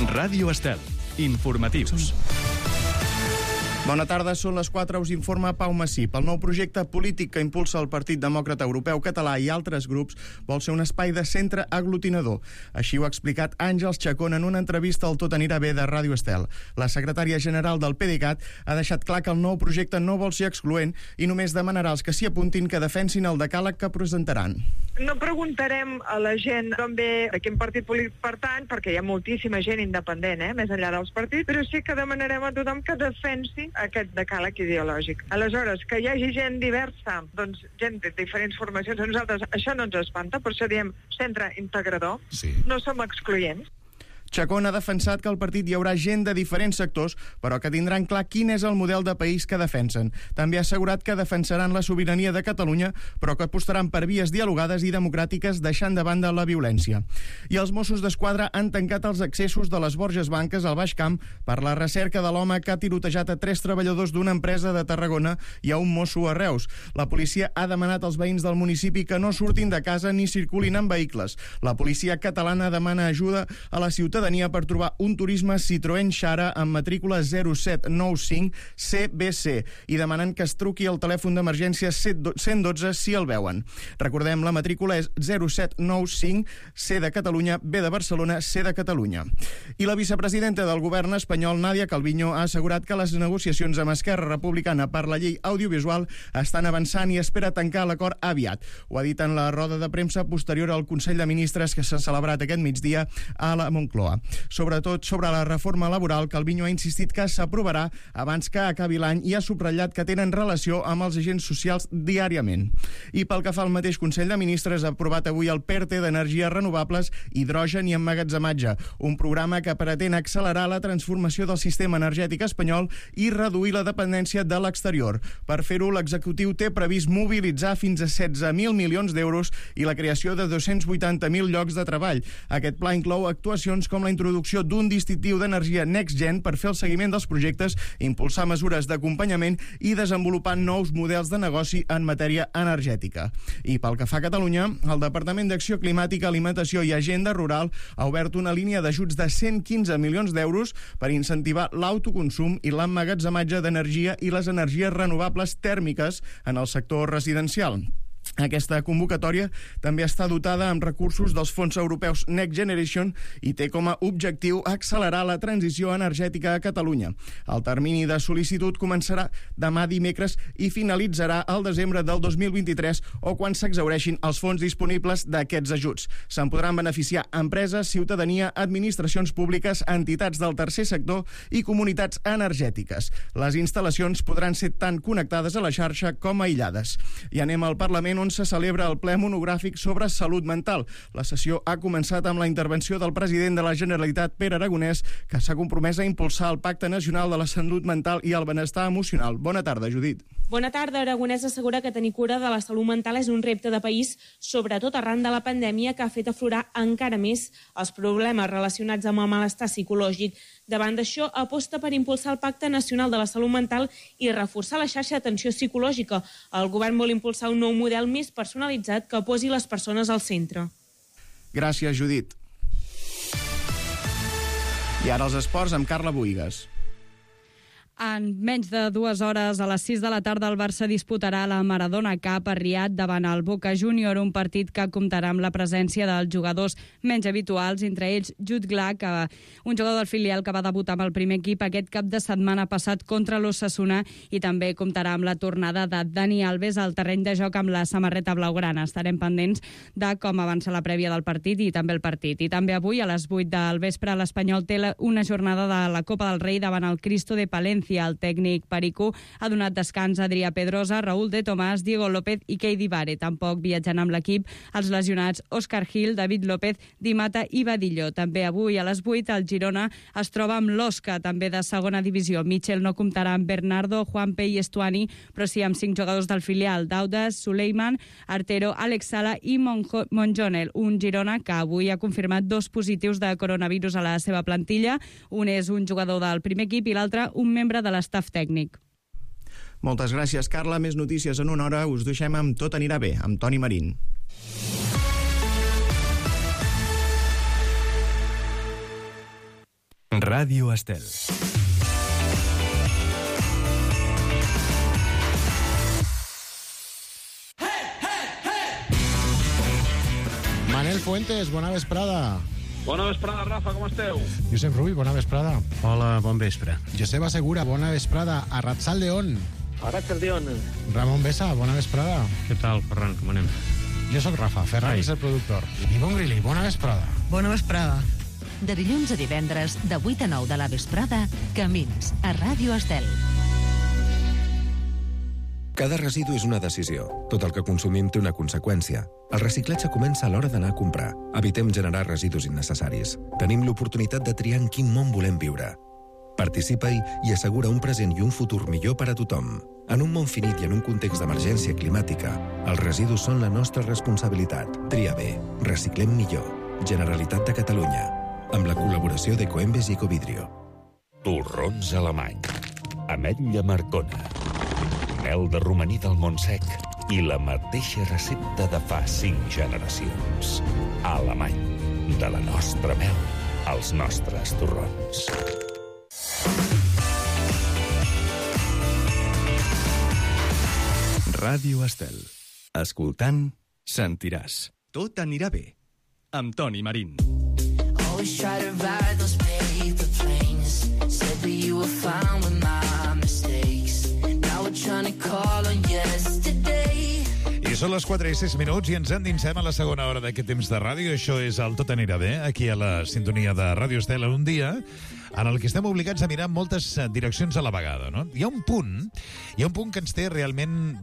Ràdio Estel. Informatius. Bona tarda, són les 4, us informa Pau Massip. El nou projecte polític que impulsa el Partit Demòcrata Europeu Català i altres grups vol ser un espai de centre aglutinador. Així ho ha explicat Àngels Chacón en una entrevista al Tot anirà bé de Ràdio Estel. La secretària general del PDeCAT ha deixat clar que el nou projecte no vol ser excloent i només demanarà als que s'hi apuntin que defensin el decàleg que presentaran. No preguntarem a la gent d'on ve, a quin partit polític pertany, perquè hi ha moltíssima gent independent, més enllà dels partits, però sí que demanarem a tothom que defensi aquest decàleg ideològic. Aleshores, que hi hagi gent diversa, doncs gent de diferents formacions, a nosaltres això no ens espanta, per això diem centre integrador, sí. No som excloents. Chacón ha defensat que al partit hi haurà gent de diferents sectors, però que tindran clar quin és el model de país que defensen. També ha assegurat que defensaran la sobirania de Catalunya, però que apostaran per vies dialogades i democràtiques deixant de banda la violència. I els Mossos d'Esquadra han tancat els accessos de les Borges Blanques al Baix Camp per la recerca de l'home que ha tirotejat a 3 treballadors d'una empresa de Tarragona i a un mosso a Reus. La policia ha demanat als veïns del municipi que no surtin de casa ni circulin en vehicles. La policia catalana demana ajuda a la ciutadania per trobar un turisme Citroën Xara amb matrícula 0795 CBC i demanen que es truqui al telèfon d'emergència 112 si el veuen. Recordem, la matrícula és 0795 C de Catalunya, B de Barcelona, C de Catalunya. I la vicepresidenta del govern espanyol, Nadia Calviño, ha assegurat que les negociacions amb Esquerra Republicana per la llei audiovisual estan avançant i espera tancar l'acord aviat. Ho ha dit en la roda de premsa posterior al Consell de Ministres que s'ha celebrat aquest migdia a la Moncloa. Sobretot sobre la reforma laboral, Calviño ha insistit que s'aprovarà abans que acabi l'any i ha subratllat que tenen relació amb els agents socials diàriament. I pel que fa al mateix Consell de Ministres, ha aprovat avui el PERTE d'energies renovables, hidrogen i emmagatzematge, un programa que pretén accelerar la transformació del sistema energètic espanyol i reduir la dependència de l'exterior. Per fer-ho, l'executiu té previst mobilitzar fins a 16.000 milions d'euros i la creació de 280.000 llocs de treball. Aquest pla inclou actuacions com la introducció d'un distintiu d'energia NextGen per fer el seguiment dels projectes, impulsar mesures d'acompanyament i desenvolupar nous models de negoci en matèria energètica. I pel que fa a Catalunya, el Departament d'Acció Climàtica, Alimentació i Agenda Rural ha obert una línia d'ajuts de 115 milions d'euros per incentivar l'autoconsum i l'emmagatzematge d'energia i les energies renovables tèrmiques en el sector residencial. Aquesta convocatòria també està dotada amb recursos dels fons europeus Next Generation i té com a objectiu accelerar la transició energètica a Catalunya. El termini de sol·licitud començarà demà dimecres i finalitzarà al desembre del 2023 o quan s'exhaureixin els fons disponibles d'aquests ajuts. Se'n podran beneficiar empreses, ciutadania, administracions públiques, entitats del tercer sector i comunitats energètiques. Les instal·lacions podran ser tant connectades a la xarxa com aïllades. I anem al Parlament, on se celebra el ple monogràfic sobre salut mental. La sessió ha començat amb la intervenció del president de la Generalitat, Pere Aragonès, que s'ha compromès a impulsar el Pacte Nacional de la Salut Mental i el Benestar Emocional. Bona tarda, Judit. Bona tarda. Aragonès assegura que tenir cura de la salut mental és un repte de país, sobretot arran de la pandèmia que ha fet aflorar encara més els problemes relacionats amb el malestar psicològic. Davant d'això, aposta per impulsar el Pacte Nacional de la Salut Mental i reforçar la xarxa d'atenció psicològica. El govern vol impulsar un nou model més personalitzat que posi les persones al centre. Gràcies, Judit. I ara els esports amb Carla Buïgas. En menys de 2 hores, a les 6 de la tarda, el Barça disputarà la Maradona Cup a Riad davant el Boca Júnior, un partit que comptarà amb la presència dels jugadors menys habituals, entre ells Jude Glack, un jugador del filial que va debutar amb el primer equip aquest cap de setmana passat contra l'Osasuna, i també comptarà amb la tornada de Dani Alves al terreny de joc amb la samarreta blaugrana. Estarem pendents de com avança la prèvia del partit i també el partit. I també avui, a les 8 del vespre, l'Espanyol té una jornada de la Copa del Rei davant el Cristo de Palencia. El tècnic Pericó ha donat descans a Adrià Pedrosa, Raúl de Tomàs, Diego López i Keidi Vare. Tampoc viatjant amb l'equip els lesionats Òscar Gil, David López, Di Mata i Badillo. També avui a les 8 el Girona es troba amb l'Osca, també de segona divisió. Michel no comptarà amb Bernardo, Juanpe i Estuani, però sí amb 5 jugadors del filial: Daudas, Suleiman, Artero, Alex Sala i Monjonel. Un Girona que avui ha confirmat 2 positius de coronavirus a la seva plantilla. Un és un jugador del primer equip i l'altre un membre de l'estaf tècnic. Moltes gràcies, Carla. Més notícies en una hora. Us deixem amb Tot anirà bé, amb Toni Marín. Ràdio Estel. Manel Fuentes, bona vesprada. Bona vesprada, Rafa, com esteu? Josep Rull, bona vesprada. Hola, bon vespre. Joseba Segura, bona vesprada. Arratsaldeon. Arratsaldeon. Ramon Besa, bona vesprada. Què tal, Ferran, com anem? Jo sóc Rafa, Ferran és el productor. Ivonne Grilli, bona vesprada. Bona vesprada. De dilluns a divendres, de 8 a 9 de la vesprada, Camins, a Ràdio Estel. Cada residu és una decisió. Tot el que consumim té una conseqüència. El reciclatge comença a l'hora d'anar a comprar. Evitem generar residus innecessaris. Tenim l'oportunitat de triar en quin món volem viure. Participa-hi i assegura un present i un futur millor per a tothom. En un món finit i en un context d'emergència climàtica, els residus són la nostra responsabilitat. Tria bé. Reciclem millor. Generalitat de Catalunya. Amb la col·laboració d'Ecoembes i Ecovidrio. Torrons alemany. Ametlla Marcona. Mel de romaní del Montsec i la mateixa recepta de fa 5 generacions. Alemany. De la nostra mel als nostres torrons. Ràdio Estel. Escoltant, sentiràs. Tot anirà bé. Amb Toni Marín. Always try to ride those paper planes. Said that you were fine with my mistakes. Now we're trying to call on yesterday. I són les 4:06 i ens endinsem a la segona hora d'aquest temps de ràdio. Això és el Tot anirà bé, aquí a la sintonia de Ràdio Estel, en un dia en el que estem obligats a mirar moltes direccions a la vegada, no? Hi ha un punt que ens té realment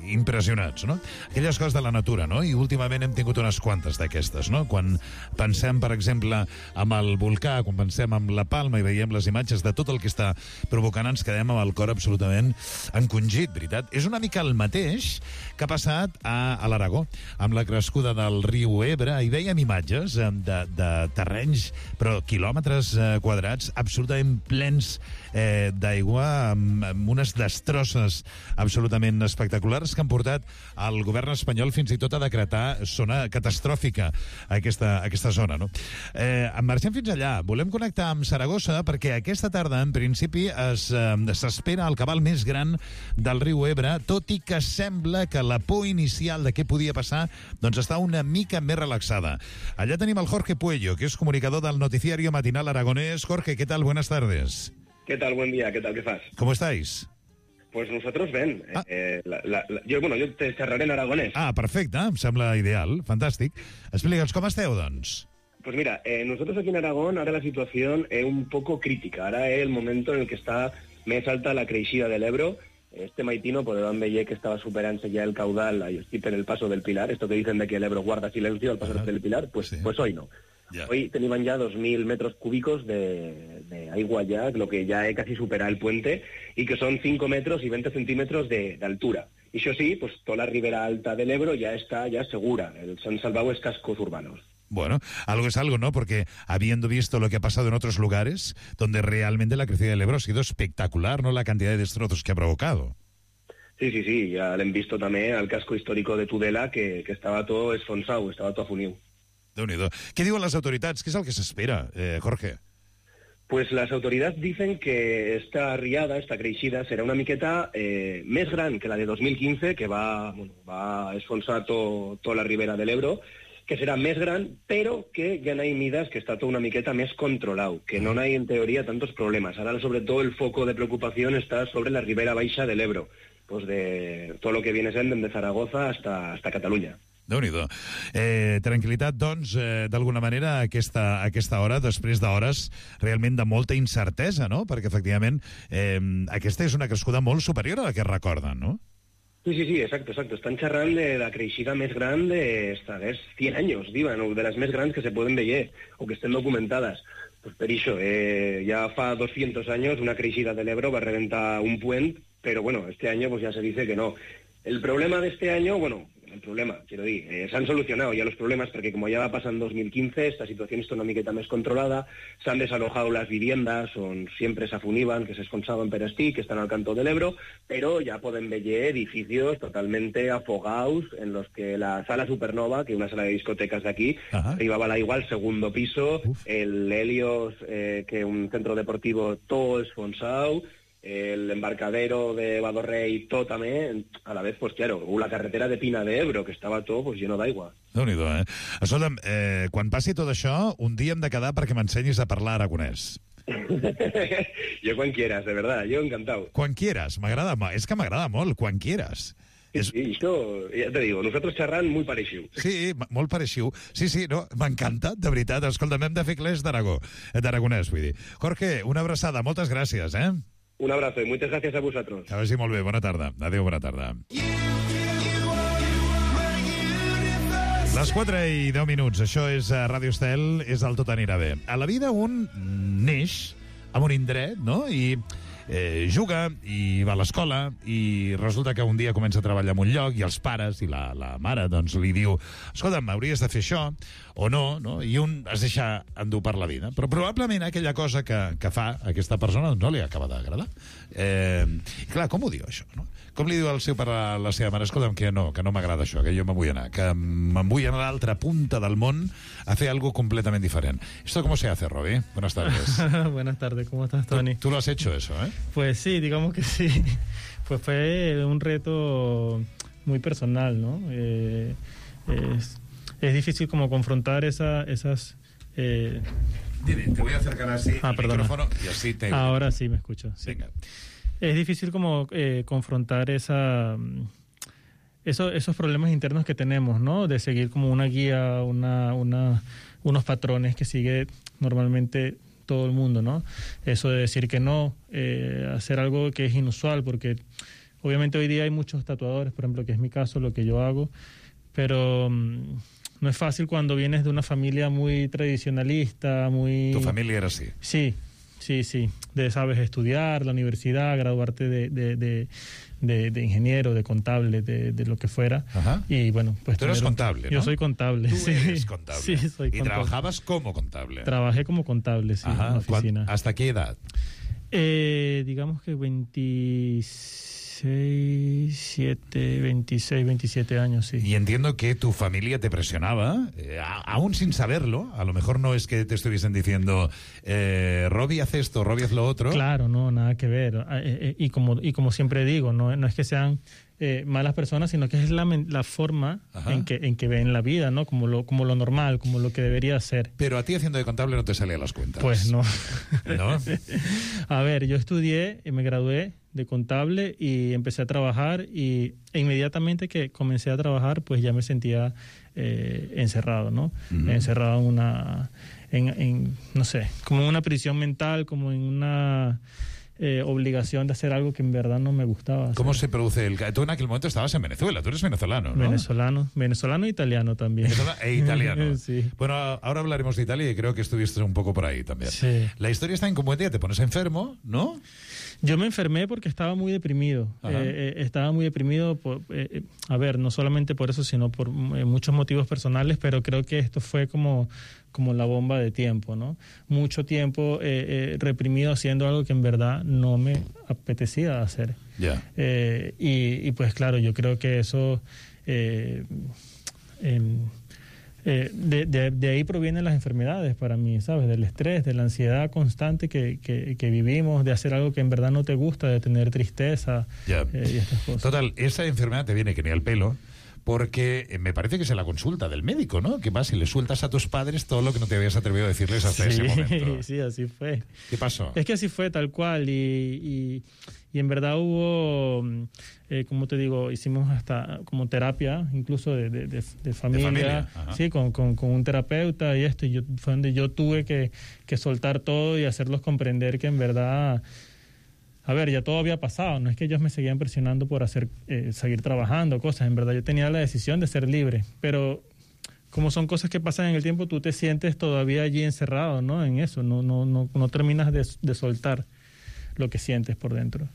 impressionats, no? Aquelles coses de la natura, no? I últimament hem tingut unes quantes d'aquestes, no? Quan pensem, per exemple, amb el volcà, quan pensem amb la Palma i veiem les imatges de tot el que està provocant, ens quedem amb el cor absolutament encongit, veritat? És una mica el mateix que ha passat a l'Aragó, amb la crescuda del riu Ebre. Hi veiem imatges de terrenys, però quilòmetres quadrats, absolutament plens d'aigua, amb unes destrosses absolutament espectaculars que han portat el govern espanyol fins i tot a decretar zona catastròfica a aquesta zona, no? Marxem fins allà. Volem connectar amb Saragossa perquè aquesta tarda, en principi, s'espera el cabal més gran del riu Ebre, tot i que sembla que la por inicial de què podia passar doncs està una mica més relaxada. Allà tenim el Jorge Puello, que és comunicador del noticiario matinal aragonés. Jorge, ¿qué tal? Buenas tardes. ¿Qué tal? Buen día. ¿Qué tal? ¿Qué fas? ¿Cómo estáis? Pues nosotros ven. Jo te xerraré en aragonès. Ah, perfecte. Em sembla ideal. Fantàstic. Explica'ns, com esteu, doncs? Pues mira, nosotros aquí en Aragón, ahora la situación es un poco crítica. Ahora es el momento en el que está més alta la creixida del Ebro. Este maitino podem veure que estava superant-se ja el caudal ahí per el paso del Pilar. Esto que dicen de que el Ebro guarda silencio al paso del Pilar, pues, sí. Pues hoy no. Yeah. Hoy tenían ya 2.000 metros cúbicos de agua ya, lo que ya casi supera el puente, y que son 5 metros y 20 centímetros de altura. Y eso sí, pues toda la ribera alta del Ebro ya está segura. Se han salvado es cascos urbanos. Bueno, algo es algo, ¿no? Porque habiendo visto lo que ha pasado en otros lugares, donde realmente la crecida del Ebro ha sido espectacular, ¿no? La cantidad de destrozos que ha provocado. Sí, ya lo han visto también al casco histórico de Tudela, que estaba todo esfonsado, estaba todo afunido. Déu-n'hi-do. Què diuen les autoritats? Què és el que s'espera, Jorge? Pues las autoridades dicen que esta riada, esta creixida, serà una miqueta més gran que la de 2015, que va esfonsar tota la ribera de l'Ebro, que serà més gran, però que ja n'hi mides que està tot una miqueta més controlat, que no n'hi, en teoria, tantos problemes. Ara, sobretot, el foco de preocupació està sobre la ribera baixa de l'Ebro, pues de tot lo que viene sent de Zaragoza hasta Catalunya. Déu-n'hi-do. Tranquil·litat, doncs, d'alguna manera, a aquesta hora, després d'hores realment de molta incertesa, no? Perquè, efectivament, aquesta és una crescuda molt superior a la que es recorden, no? Sí, exacto. Están xerrant de la creixida més gran de 100 anys, diuen, o de les més grans que se poden veure, o que estén documentades. Pues per això, ja fa 200 anys una creixida de l'Ebro va reventar un puent, però, bueno, este año pues ya se dice que no. El problema de este año, bueno, el problema, quiero decir. Se han solucionado ya los problemas porque como ya va a pasar en 2015, esta situación és una miqueta més controlada, s'han desalojado las viviendas on siempre s'afuniban, que s'esconsaven per estir, que están al canto del Ebro, pero ya pueden ver edificios totalmente afogados en los que la sala Supernova, que es una sala de discotecas de aquí, arribaba la igual segundo piso, el Helios, que es un centro deportivo todo esfonsado, el embarcadero de Badorrey, todo també, a la vez, pues claro, la carretera de Pina de Ebro, que estava tot pues, lleno d'aigua. Déu-n'hi-do, Escolta'm, quan passi tot això, un dia hem de quedar perquè m'ensenyis a parlar aragonès. Yo quan quieras, de verdad, yo encantado. Quan quieras, m'agrada, és que m'agrada molt, quan quieras. Sí, esto, ya te digo, nosotros xerran muy pareixiu. Sí, molt pareixiu. Sí, no, m'encanta, de veritat. Escolta'm, hem de fer clés d'aragonès, vull dir. Jorge, una abraçada, moltes gràcies, Un abrazo y muchas gracias a vosotros. Que vagi molt bé, bona tarda. Adéu, bona tarda. Les 4:10, això és Ràdio Estel, és el Tot anirà bé. A la vida un neix en un indret, no?, i juga i va a l'escola i resulta que un dia comença a treballar en un lloc i els pares i la mare doncs li diu, escolta'm, hauries de fer això o no, i un es deixa endur per la vida, però probablement aquella cosa que fa aquesta persona no li acaba d'agradar. I clar, com ho diu això, no? Com li diu el seu pare a la seva mare, escolta'm, que no m'agrada això, que jo me'n vull anar, que me'n vull anar a l'altra punta del món a fer algo completamente diferente. ¿Esto cómo se hace, Robbie? Buenas tardes. Buenas tardes, ¿cómo estás, Tony? ¿Tú lo has hecho eso, Pues sí, digamos que sí. Pues fue un reto muy personal, ¿no? Es difícil como confrontar esas... Dime, te voy a acercar así el micrófono y así te... Ahora sí me escucho. Sí. Venga. Es difícil como confrontar esos problemas internos que tenemos, ¿no? De seguir como una guía, unos patrones que sigue normalmente todo el mundo, ¿no? Eso de decir que no, hacer algo que es inusual, porque obviamente hoy día hay muchos tatuadores, por ejemplo, que es mi caso, lo que yo hago, pero no es fácil cuando vienes de una familia muy tradicionalista, muy... ¿Tu familia era así? Sí. Sabes estudiar, la universidad, graduarte de ingeniero, de contable, de lo que fuera. Ajá. Y bueno, pues... Tú eres contable, ¿no? Yo soy contable, Tú sí. eres contable. Sí, soy contable. ¿Y trabajabas como contable? Trabajé como contable, sí, en la oficina. ¿Hasta qué edad? Digamos que 26, 27 años, sí. Y entiendo que tu familia te presionaba, aún sin saberlo. A lo mejor no es que te estuviesen diciendo, Robbie hace esto, Robbie hace lo otro. Claro, no, nada que ver. Y como siempre digo, no es que sean malas personas, sino que es la forma en que ven la vida, ¿no? Como lo normal, como lo que debería ser. Pero a ti haciendo de contable no te salían las cuentas. Pues no. ¿No? A ver, yo estudié y me gradué de contable y empecé a trabajar e inmediatamente que comencé a trabajar pues ya me sentía encerrado, ¿no? Encerrado en no sé, como en una prisión mental, como en una obligación de hacer algo que en verdad no me gustaba hacer. ¿Cómo se produce tú en aquel momento estabas en Venezuela, tú eres venezolano, ¿no? Venezolano e italiano también. Italiano. Sí. Bueno, ahora hablaremos de Italia y creo que estuviste un poco por ahí también. Sí. La historia está en cómo un día te pones enfermo, ¿no? Yo me enfermé porque estaba muy deprimido. Estaba muy deprimido, a ver, no solamente por eso, sino por muchos motivos personales, pero creo que esto fue como la bomba de tiempo, ¿no? Mucho tiempo reprimido haciendo algo que en verdad no me apetecía hacer. Yeah. Y pues claro, yo creo que eso... de ahí provienen las enfermedades para mí, ¿sabes? Del estrés, de la ansiedad constante que vivimos, de hacer algo que en verdad no te gusta, de tener tristeza y estas cosas. Total, esa enfermedad te viene que ni al pelo, porque me parece que es la consulta del médico, ¿no? Que vas y le sueltas a tus padres todo lo que no te habías atrevido a decirles hasta ese momento. Sí, así fue. ¿Qué pasó? Es que así fue, tal cual, y en verdad hubo, como te digo, hicimos hasta como terapia, incluso de familia. Sí, con un terapeuta y esto, fue donde yo tuve que soltar todo y hacerlos comprender que en verdad... A ver, ya todo había pasado, no es que ellos me seguían presionando por seguir trabajando, cosas. En verdad yo tenía la decisión de ser libre, pero como son cosas que pasan en el tiempo, tú te sientes todavía allí encerrado, ¿no? En eso, no terminas de soltar. lo que sientes por dentro.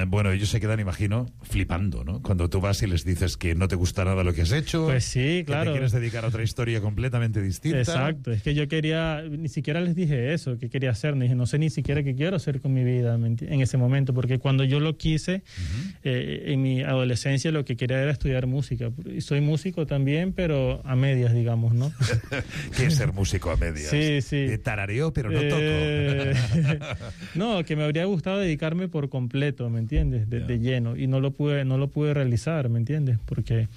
Bueno, ellos se quedan, imagino, flipando, ¿no? Cuando tú vas y les dices que no te gusta nada lo que has hecho. Pues sí, claro. Que te quieres dedicar a otra historia completamente distinta. Exacto, es que yo ni siquiera les dije eso, que quería hacer, no sé ni siquiera qué quiero hacer con mi vida en ese momento, porque cuando yo lo quise, en mi adolescencia lo que quería era estudiar música. Y soy músico también, pero a medias, digamos, ¿no? ¿Qué es ser músico a medias? Sí, sí. De tarareo, pero no toco. No, que me habría gustado dedicarme por completo, ¿me entiendes? De lleno, y no lo pude realizar, ¿me entiendes? Porque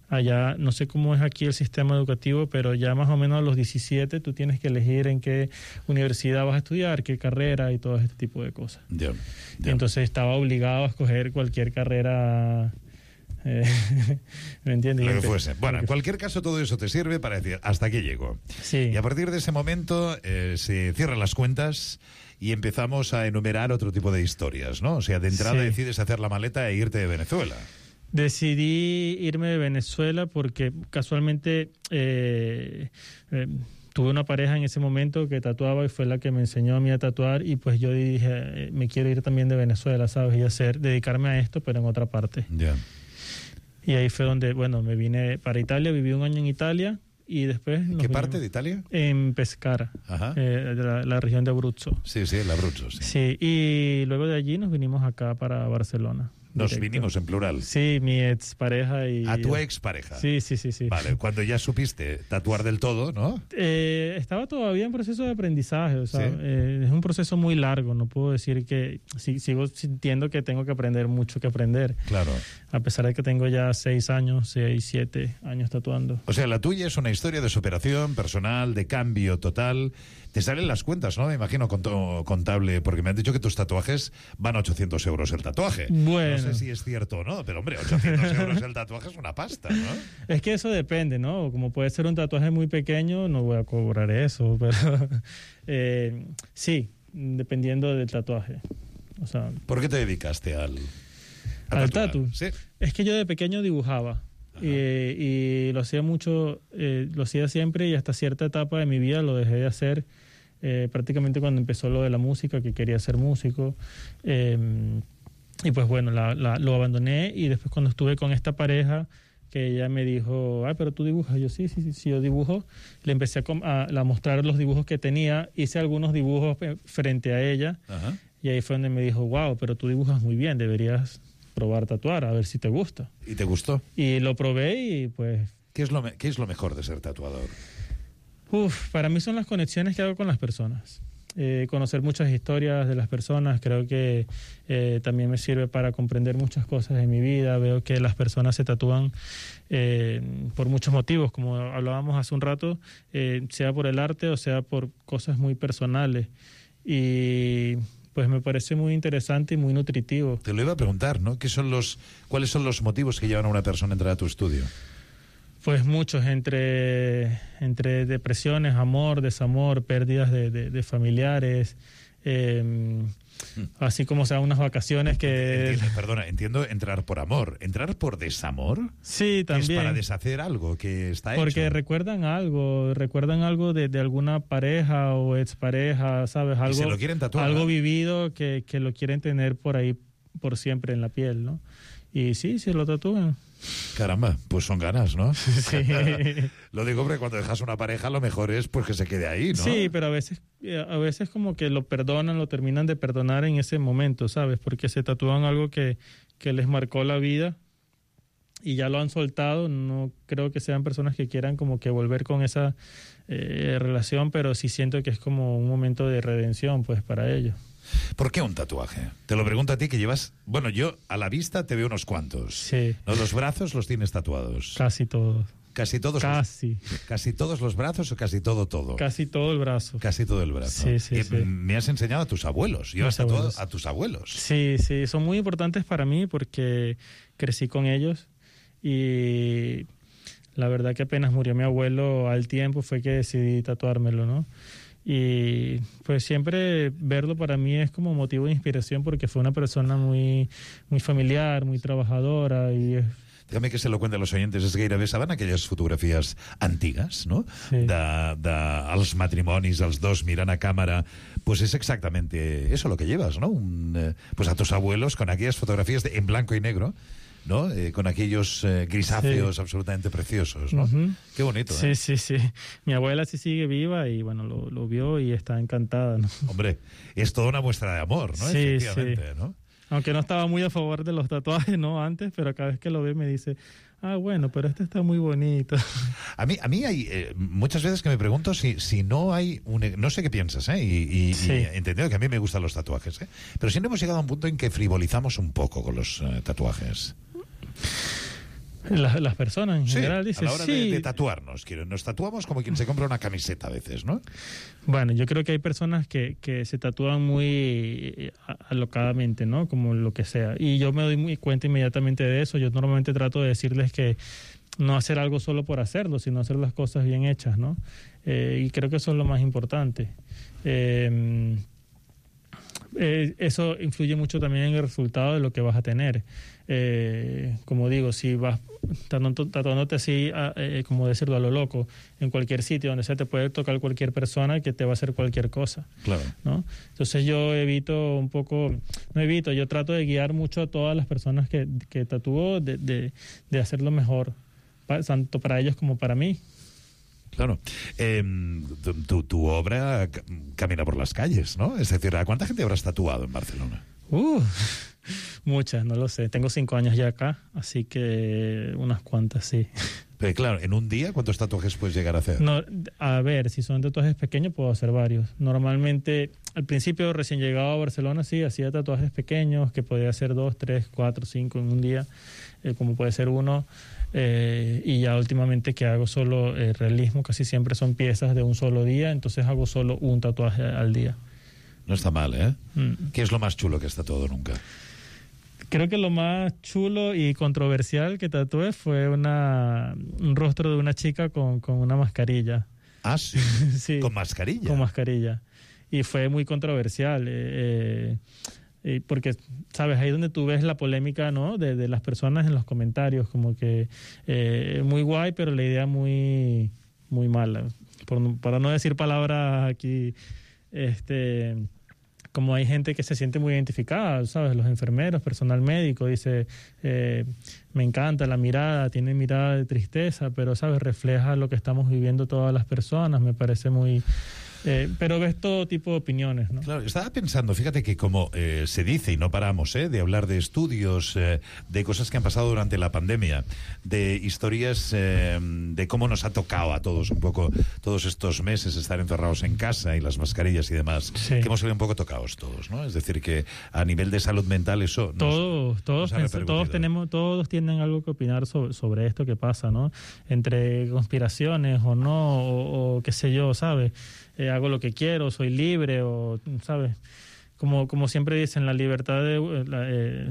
allá, no sé cómo es aquí el sistema educativo, pero ya más o menos a los 17 tú tienes que elegir en qué universidad vas a estudiar, qué carrera y todo este tipo de cosas. Y entonces estaba obligado a escoger cualquier carrera, ¿me entiendes? Lo que fuese. Bueno, en cualquier caso todo eso te sirve para decir, hasta aquí llego. Sí. Y a partir de ese momento se cierran las cuentas y empezamos a enumerar otro tipo de historias, ¿no? O sea, de entrada decides hacer la maleta e irte de Venezuela. Decidí irme de Venezuela porque casualmente tuve una pareja en ese momento que tatuaba y fue la que me enseñó a mí a tatuar, y pues yo dije, me quiero ir también de Venezuela, ¿sabes? Y dedicarme a esto, pero en otra parte. Y ahí fue donde, bueno, me vine para Italia, viví un año en Italia y después... ¿Qué parte de Italia? En Pescara, la región de Abruzzo. Sí, el Abruzzo, sí. Sí, y luego de allí nos vinimos acá para Barcelona. Nos vinimos en plural. Sí, mi expareja y... ¿A tu expareja? Sí. Vale, cuando ya supiste tatuar del todo, ¿no? Estaba todavía en proceso de aprendizaje, o sea, es un proceso muy largo, no puedo decir que... sigo sintiendo que tengo que aprender mucho que aprender. Claro. A pesar de que tengo ya 6 años, 7 años tatuando. O sea, la tuya es una historia de superación personal, de cambio total. Te salen las cuentas, ¿no? Me imagino contable, porque me han dicho que tus tatuajes van a 800 euros el tatuaje. Bueno. No sé si es cierto o no, pero hombre, 800 euros el tatuaje es una pasta, ¿no? Es que eso depende, ¿no? Como puede ser un tatuaje muy pequeño, no voy a cobrar eso, pero sí, dependiendo del tatuaje. O sea, ¿por qué te dedicaste al tatu? Sí. Es que yo de pequeño dibujaba. Y lo hacía mucho, lo hacía siempre, y hasta cierta etapa de mi vida lo dejé de hacer, prácticamente cuando empezó lo de la música, que quería ser músico, y pues bueno, lo abandoné, y después cuando estuve con esta pareja, que ella me dijo, pero tú dibujas. Yo sí, yo dibujo. Le empecé a mostrar los dibujos que tenía, hice algunos dibujos frente a ella, y ahí fue donde me dijo, wow, pero tú dibujas muy bien, deberías probar tatuar, a ver si te gusta. ¿Y te gustó? Y lo probé y pues... ¿Qué es lo mejor de ser tatuador? Para mí son las conexiones que hago con las personas. Conocer muchas historias de las personas, creo que también me sirve para comprender muchas cosas de mi vida. Veo que las personas se tatúan por muchos motivos, como hablábamos hace un rato, sea por el arte o sea por cosas muy personales. Y... pues me parece muy interesante y muy nutritivo. Te lo iba a preguntar, ¿no? ¿Cuáles son los motivos que llevan a una persona a entrar a tu estudio? Pues muchos, entre depresiones, amor, desamor, pérdidas de familiares, así como sea unas vacaciones que... Entiendo entrar por amor. ¿Entrar por desamor? Sí, también. ¿Es para deshacer algo que está hecho? Porque recuerdan algo de alguna pareja o expareja, ¿sabes? Algo, y se lo quieren tatuar, algo ¿no? vivido que lo quieren tener por ahí por siempre en la piel, ¿no? Y sí, se lo tatúan. Caramba, pues son ganas, ¿no? Sí. Lo digo porque cuando dejas una pareja lo mejor es pues que se quede ahí, ¿no? Sí, pero a veces como que lo perdonan, lo terminan de perdonar en ese momento, ¿sabes? Porque se tatúan algo que les marcó la vida y ya lo han soltado. No creo que sean personas que quieran como que volver con esa relación, pero sí siento que es como un momento de redención pues para ellos. ¿Por qué un tatuaje? Te lo pregunto a ti que llevas... Bueno, yo a la vista te veo unos cuantos. Sí. ¿No? ¿Los brazos los tienes tatuados? Casi todos. ¿Casi todos? ¿Casi todos los brazos o casi todo? Casi todo el brazo. Casi todo el brazo. Sí. Me has enseñado a tus abuelos. Yo hasta a tus abuelos. Sí, son muy importantes para mí porque crecí con ellos y la verdad que apenas murió mi abuelo al tiempo fue que decidí tatuármelo, ¿no? Y pues siempre verlo para mí es como motivo de inspiración porque fue una persona muy, muy familiar, muy trabajadora y déjame que se lo cuente a los oyentes, és gairebé, saben aquelles fotografies antigues, no? Sí. Els matrimonis, els dos mirant a cámara, pues es exactamente eso lo que llevas, ¿no? Pues a tus abuelos con aquellas fotografías en blanco y negro, ¿no? Con aquellos grisáceos absolutamente preciosos, ¿no? Qué bonito, Sí, sí, sí. Mi abuela sí sigue viva y, bueno, lo vio y está encantada, ¿no? Hombre, es toda una muestra de amor, ¿no? Sí, Efectivamente, sí. ¿no? Aunque no estaba muy a favor de los tatuajes, ¿no? Antes, pero cada vez que lo ve me dice, bueno, pero este está muy bonito. A mí hay muchas veces que me pregunto si no hay no sé qué piensas, y he entendido que a mí me gustan los tatuajes, pero si no hemos llegado a un punto en que frivolizamos un poco con los tatuajes. Las personas en general dicen, a la hora de tatuarnos, nos tatuamos como quien se compra una camiseta a veces, ¿no? Bueno, yo creo que hay personas que se tatúan muy alocadamente, ¿no? Como lo que sea. Y yo me doy muy cuenta inmediatamente de eso. Yo normalmente trato de decirles que no hacer algo solo por hacerlo, sino hacer las cosas bien hechas, ¿no? Y creo que eso es lo más importante. Eso influye mucho también en el resultado de lo que vas a tener. Como digo, si vas tatuándote así, como decirlo, a lo loco, en cualquier sitio donde sea, te puede tocar cualquier persona que te va a hacer cualquier cosa. Claro. ¿No? Entonces yo yo trato de guiar mucho a todas las personas que tatúo de hacerlo mejor, tanto para ellos como para mí. Claro. Tu obra camina por las calles, ¿no? Es decir, ¿a cuánta gente habrás tatuado en Barcelona? Muchas, no lo sé. Tengo 5 años ya acá, así que unas cuantas, sí. Pero claro, en un día, ¿cuántos tatuajes puedes llegar a hacer? No, a ver, si son tatuajes pequeños, puedo hacer varios. Normalmente, al principio, recién llegado a Barcelona, sí, hacía tatuajes pequeños, que podía hacer 2, 3, 4, 5 en un día, como puede ser uno. Y ya últimamente que hago solo realismo, casi siempre son piezas de un solo día, entonces hago solo un tatuaje al día. No está mal, ¿eh? ¿Qué es lo más chulo que has tatuado nunca? Creo que lo más chulo y controversial que tatué fue un rostro de una chica con una mascarilla. Ah, sí. Sí. ¿Con mascarilla? Con mascarilla. Y fue muy controversial. Porque, ¿sabes? Ahí donde tú ves la polémica, ¿no? De las personas en los comentarios, como que muy guay, pero la idea muy, muy mala. Para no decir palabras aquí, como hay gente que se siente muy identificada, ¿sabes? Los enfermeros, personal médico, dice, me encanta la mirada, tiene mirada de tristeza, pero, ¿sabes? Refleja lo que estamos viviendo todas las personas, me parece muy... pero ves todo tipo de opiniones, ¿no? Claro, estaba pensando, fíjate que como se dice, y no paramos de hablar de estudios, de cosas que han pasado durante la pandemia, de historias de cómo nos ha tocado a todos un poco todos estos meses estar encerrados en casa y las mascarillas y demás, que hemos salido un poco tocados todos, ¿no? Es decir, que a nivel de salud mental eso todos tienen algo que opinar sobre esto que pasa, ¿no? Entre conspiraciones o no, o qué sé yo, ¿sabes? Hago lo que quiero, soy libre, o, ¿sabes? Como siempre dicen, la libertad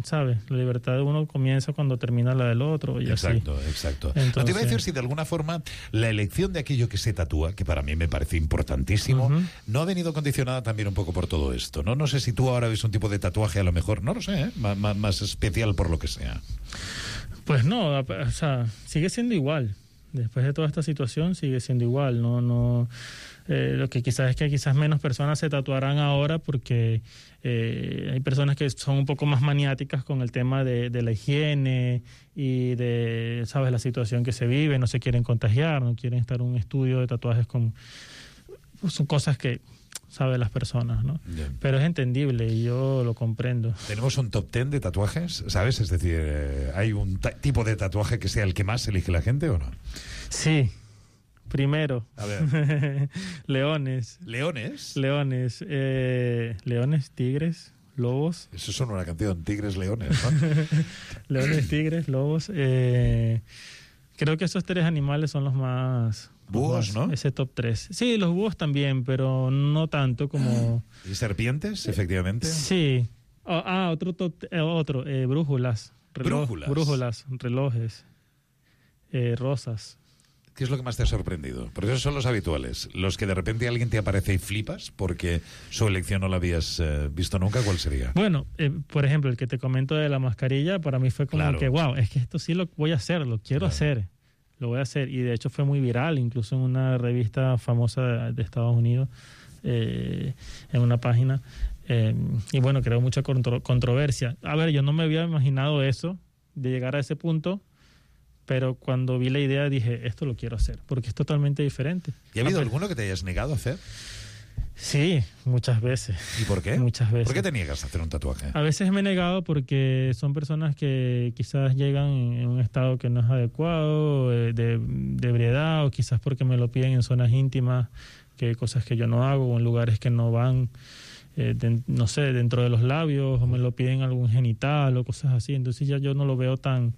¿sabes? La libertad de uno comienza cuando termina la del otro. Y exacto, así. Exacto. Entonces, no te iba a decir si de alguna forma la elección de aquello que se tatúa, que para mí me parece importantísimo, no ha venido condicionada también un poco por todo esto, ¿no? No sé si tú ahora ves un tipo de tatuaje, a lo mejor, no lo sé, más especial por lo que sea. Pues no, o sea, sigue siendo igual. Después de toda esta situación sigue siendo igual, no lo que quizás es que quizás menos personas se tatuarán ahora porque hay personas que son un poco más maniáticas con el tema de la higiene y de, ¿sabes?, la situación que se vive, no se quieren contagiar, no quieren estar en un estudio de tatuajes son cosas que saben las personas, ¿no? Bien. Pero es entendible y yo lo comprendo. ¿Tenemos un top 10 de tatuajes, sabes? Es decir, ¿hay un tipo de tatuaje que sea el que más elige la gente o no? Sí. Primero. A ver. Leones. ¿Leones? Leones. Leones, tigres, lobos. Eso son una canción, tigres, leones, ¿no? Leones, tigres, lobos. Creo que esos 3 animales son los más... Búhos, ¿no? Ese top 3. Sí, los búhos también, pero no tanto como... ¿Y serpientes, efectivamente? Sí. Brújulas. ¿Brújulas? Brújulas, relojes, rosas. ¿Qué es lo que más te ha sorprendido? Porque esos son los habituales. Los que de repente alguien te aparece y flipas porque su elección no la habías visto nunca, ¿cuál sería? Bueno, por ejemplo, el que te comento de la mascarilla, para mí fue como que, wow, es que esto sí lo voy a hacer, lo quiero hacer. Lo voy a hacer. Y de hecho fue muy viral, incluso en una revista famosa de Estados Unidos, en una página. Y bueno, creó mucha controversia. A ver, yo no me había imaginado eso, de llegar a ese punto. Pero cuando vi la idea dije, esto lo quiero hacer, porque es totalmente diferente. ¿Y ha habido alguno que te hayas negado a hacer? Sí, muchas veces. ¿Y por qué? Muchas veces. ¿Por qué te niegas a hacer un tatuaje? A veces me he negado porque son personas que quizás llegan en un estado que no es adecuado, de ebriedad, o quizás porque me lo piden en zonas íntimas, que cosas que yo no hago, o en lugares que no van, no sé, dentro de los labios, o me lo piden algún genital, o cosas así. Entonces ya yo no lo veo tan...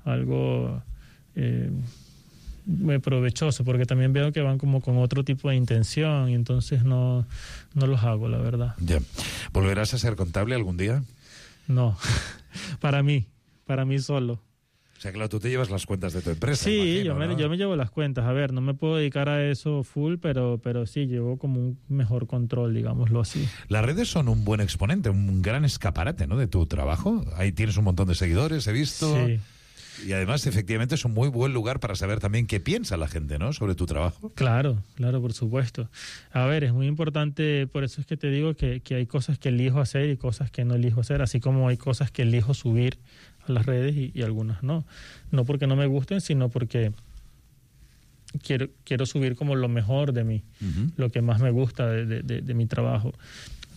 algo muy provechoso, porque también veo que van como con otro tipo de intención y entonces no los hago, la verdad. Ya. ¿Volverás a ser contable algún día? No, para mí solo. O sea, claro, tú te llevas las cuentas de tu empresa. Sí, imagino, yo me llevo las cuentas. A ver, no me puedo dedicar a eso full, pero sí, llevo como un mejor control, digámoslo así. Las redes son un buen exponente, un gran escaparate, ¿no?, de tu trabajo. Ahí tienes un montón de seguidores, he visto. Sí. Y además, efectivamente, es un muy buen lugar para saber también qué piensa la gente, ¿no?, sobre tu trabajo. Claro, por supuesto. A ver, es muy importante, por eso es que te digo que hay cosas que elijo hacer y cosas que no elijo hacer, así como hay cosas que elijo subir a las redes y algunas no. No porque no me gusten, sino porque quiero subir como lo mejor de mí, lo que más me gusta de mi trabajo.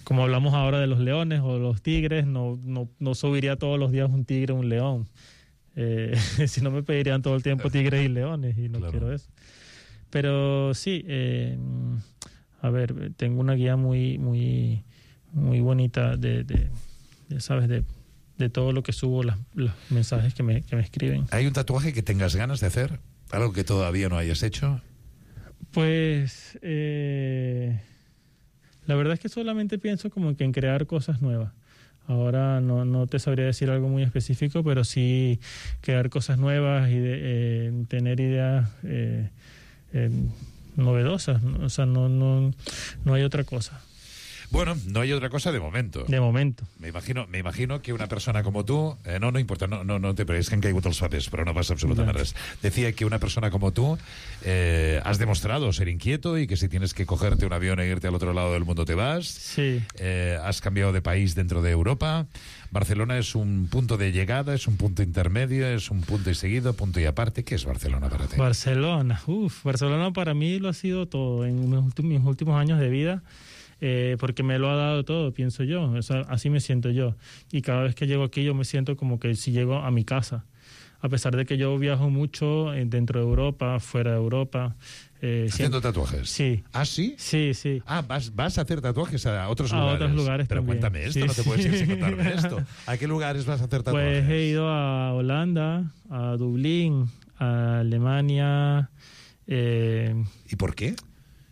Como hablamos ahora de los leones o los tigres, no subiría todos los días un tigre o un león. Si no me pedirían todo el tiempo tigres y leones y no quiero eso. Pero sí, a ver, tengo una guía muy bonita ¿sabes? De todo lo que subo, los mensajes que me escriben. ¿Hay un tatuaje que tengas ganas de hacer? ¿Algo que todavía no hayas hecho? Pues la verdad es que solamente pienso como que en crear cosas nuevas. Ahora no te sabría decir algo muy específico, pero sí crear cosas nuevas y tener ideas novedosas. O sea, no hay otra cosa. Bueno, no hay otra cosa de momento. De momento. Me imagino que una persona como tú... no importa, no te pregues que han caigut els papers, però no pasa absolutamente res. Decía que una persona como tú has demostrado ser inquieto y que si tienes que cogerte un avión e irte al otro lado del mundo te vas. Sí. Has cambiado de país dentro de Europa. Barcelona es un punto de llegada, es un punto intermedio, es un punto y seguido, punto y aparte. ¿Qué es Barcelona para ti? Barcelona para mí lo ha sido todo en mis últimos años de vida. Porque me lo ha dado todo, pienso yo. O sea, así me siento yo. Y cada vez que llego aquí yo me siento como que si llego a mi casa. A pesar de que yo viajo mucho dentro de Europa, fuera de Europa. ¿Haciendo tatuajes? Sí. ¿Ah, sí? Sí. Ah, vas a hacer tatuajes a otros lugares. A otros lugares Pero también. Cuéntame esto, Sí, no te puedes ir sin sí. contarme esto. ¿A qué lugares vas a hacer tatuajes? Pues he ido a Holanda, a Dublín, a Alemania. ¿Y por qué?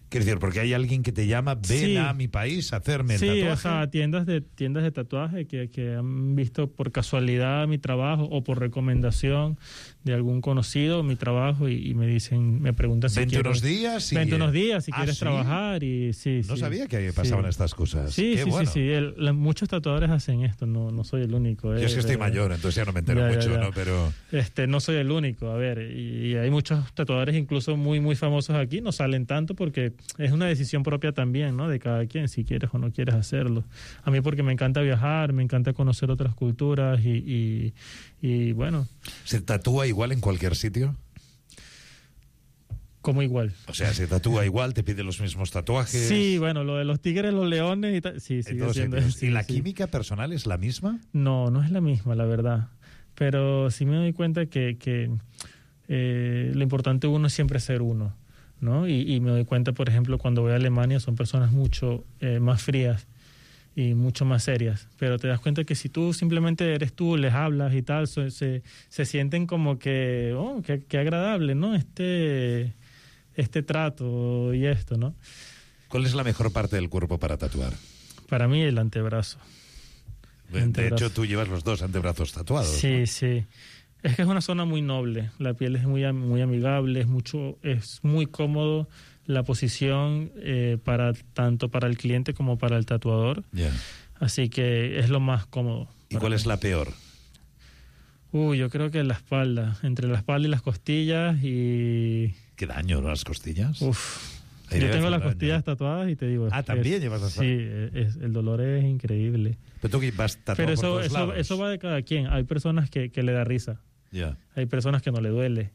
Quiero decir, porque hay alguien que te llama, ven a mi país a hacerme el tatuaje. Sí, o sea, tiendas de tatuaje que han visto por casualidad mi trabajo o por recomendación de algún conocido mi trabajo y me preguntan si Vente quiero... unos días si quieres ¿sí? trabajar y sí. No sabía que pasaban estas cosas. Sí, Qué bueno. Muchos tatuadores hacen esto, no soy el único. Yo es que estoy mayor, entonces ya no me entero mucho, ¿no? Pero... no soy el único, a ver, y hay muchos tatuadores incluso muy, muy famosos aquí, no salen tanto porque es una decisión propia también, ¿no? De cada quien, si quieres o no quieres hacerlo. A mí porque me encanta viajar, me encanta conocer otras culturas y bueno. ¿Se tatúa igual en cualquier sitio? ¿Cómo igual? O sea, se tatúa igual, te pide los mismos tatuajes. Sí, bueno, lo de los tigres, los leones y tal. Sí, sigue siendo. ¿Y la química personal es la misma? No es la misma, la verdad. Pero sí me doy cuenta que lo importante uno es siempre ser uno, ¿no? Y me doy cuenta, por ejemplo, cuando voy a Alemania son personas mucho más frías y mucho más serias, pero te das cuenta que si tú simplemente eres tú, les hablas y tal, se sienten como que, qué agradable, ¿no? Este trato y esto, ¿no? ¿Cuál es la mejor parte del cuerpo para tatuar? Para mí el antebrazo. De hecho, tú llevas los dos antebrazos tatuados. Sí, ¿no? sí. Es que es una zona muy noble, la piel es muy amigable, es muy cómodo la posición tanto para el cliente como para el tatuador. Yeah. Así que es lo más cómodo. ¿Y cuál es la peor? Yo creo que la espalda, entre la espalda y las costillas y... ¿Qué daño, las costillas? Yo tengo las costillas tatuadas y te digo... ¿también llevas las Sí, el dolor es increíble. Pero tú vas tatuado Pero por todos lados. Eso va de cada quien. Hay personas que le da risa. Yeah. Hay personas que no le duele.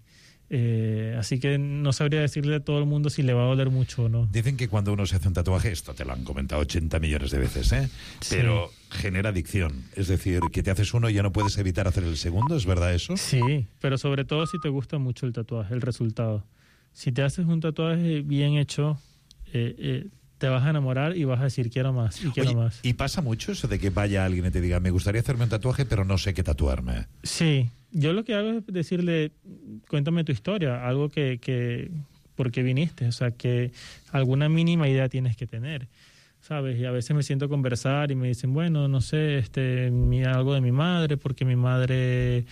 Así que no sabría decirle a todo el mundo si le va a doler mucho o no. Dicen que cuando uno se hace un tatuaje, esto te lo han comentado 80 millones de veces, pero genera adicción. Es decir, que te haces uno y ya no puedes evitar hacer el segundo, ¿es verdad eso? Sí, pero sobre todo si te gusta mucho el tatuaje, el resultado. Si te haces un tatuaje bien hecho, te vas a enamorar y vas a decir quiero más y quiero más. ¿Y pasa mucho eso de que vaya alguien y te diga me gustaría hacerme un tatuaje pero no sé qué tatuarme? Sí, yo lo que hago es decirle cuéntame tu historia, algo que por qué viniste, o sea, que alguna mínima idea tienes que tener, ¿sabes? Y a veces me siento a conversar y me dicen, bueno, no sé, algo de mi madre, porque mi madre,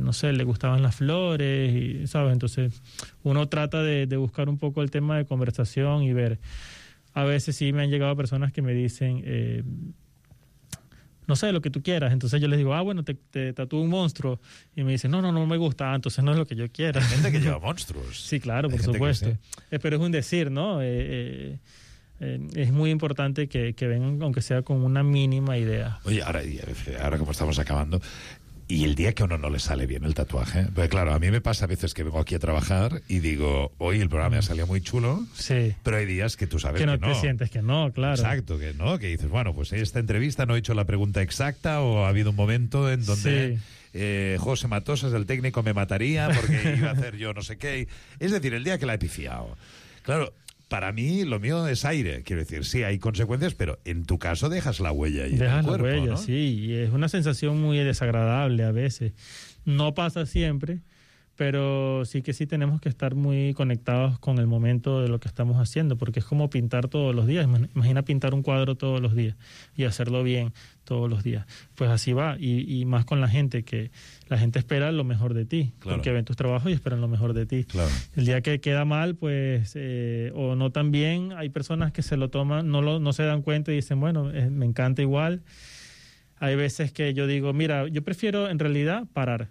no sé, le gustaban las flores, y, ¿sabes? Entonces uno trata de buscar un poco el tema de conversación y ver. A veces sí me han llegado personas que me dicen, no sé, lo que tú quieras. Entonces yo les digo, bueno, te tatúo un monstruo. Y me dicen, no me gusta, entonces no es lo que yo quiera. Hay gente que lleva monstruos. Sí, claro, por supuesto. Pero es un decir, ¿no? Es muy importante que vengan, aunque sea con una mínima idea. Oye, ahora como estamos acabando... Y el día que a uno no le sale bien el tatuaje, pues claro, a mí me pasa a veces que vengo aquí a trabajar y digo, hoy el programa me ha salido muy chulo, sí, pero hay días que tú sabes que no. Que no te sientes que no, claro. Exacto, que no, que dices, bueno, pues esta entrevista no he hecho la pregunta exacta o ha habido un momento en donde José Matosas, el técnico, me mataría porque iba a hacer yo no sé qué. Es decir, el día que la he pifiado. Claro, para mí lo mío es aire, quiero decir, sí, hay consecuencias, pero en tu caso dejas la huella ahí. Dejas en el cuerpo, la huella, ¿no? sí, y es una sensación muy desagradable a veces. No pasa siempre, pero sí que sí tenemos que estar muy conectados con el momento de lo que estamos haciendo, porque es como pintar todos los días. Imagina pintar un cuadro todos los días y hacerlo bien todos los días. Pues así va, y más con la gente, que la gente espera lo mejor de ti, claro, porque ven tus trabajos y esperan lo mejor de ti. Claro. El día que queda mal, pues, o no tan bien, hay personas que se lo toman, no se dan cuenta y dicen, bueno, me encanta igual. Hay veces que yo digo, mira, yo prefiero en realidad parar,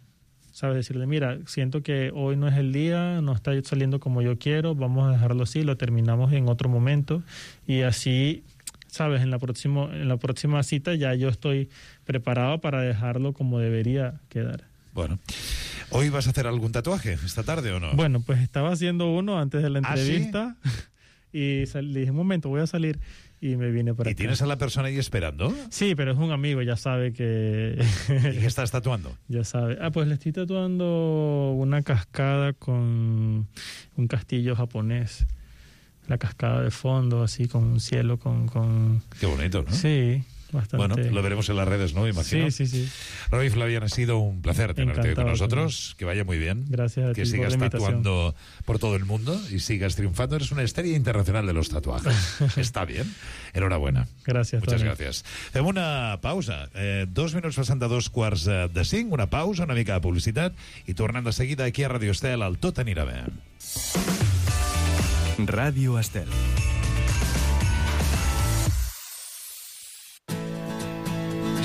¿sabes? Decirle, mira, siento que hoy no es el día, no está saliendo como yo quiero, vamos a dejarlo así, lo terminamos en otro momento y así, ¿sabes? En la próxima cita ya yo estoy preparado para dejarlo como debería quedar. Bueno, ¿hoy vas a hacer algún tatuaje esta tarde o no? Bueno, pues estaba haciendo uno antes de la entrevista. ¿Sí? Y le dije, un momento, voy a salir y me vine para acá. ¿Y tienes a la persona ahí esperando? Sí, pero es un amigo, ya sabe que... ¿Y qué estás tatuando? Ya sabe. Pues le estoy tatuando una cascada con un castillo japonés. La cascada de fondo, así, con un cielo, con... Qué bonito, ¿no? Sí, bastante. Bueno, lo veremos en las redes, ¿no? Imagino. Sí. Roy Flavián, ha sido un placer tenerte hoy con nosotros. También. Que vaya muy bien. Gracias a ti que sigas por la tatuando por todo el mundo y sigas triunfando. Eres una estrella internacional de los tatuajes. Està bien. Enhorabuena. Gràcies. Muchas gracias. Fem una pausa. 2 minuts passant de 2:45. Una pausa, una mica de publicitat i tornant de seguida aquí a Radio Estel, el Tot anirà bé. Radio Estel.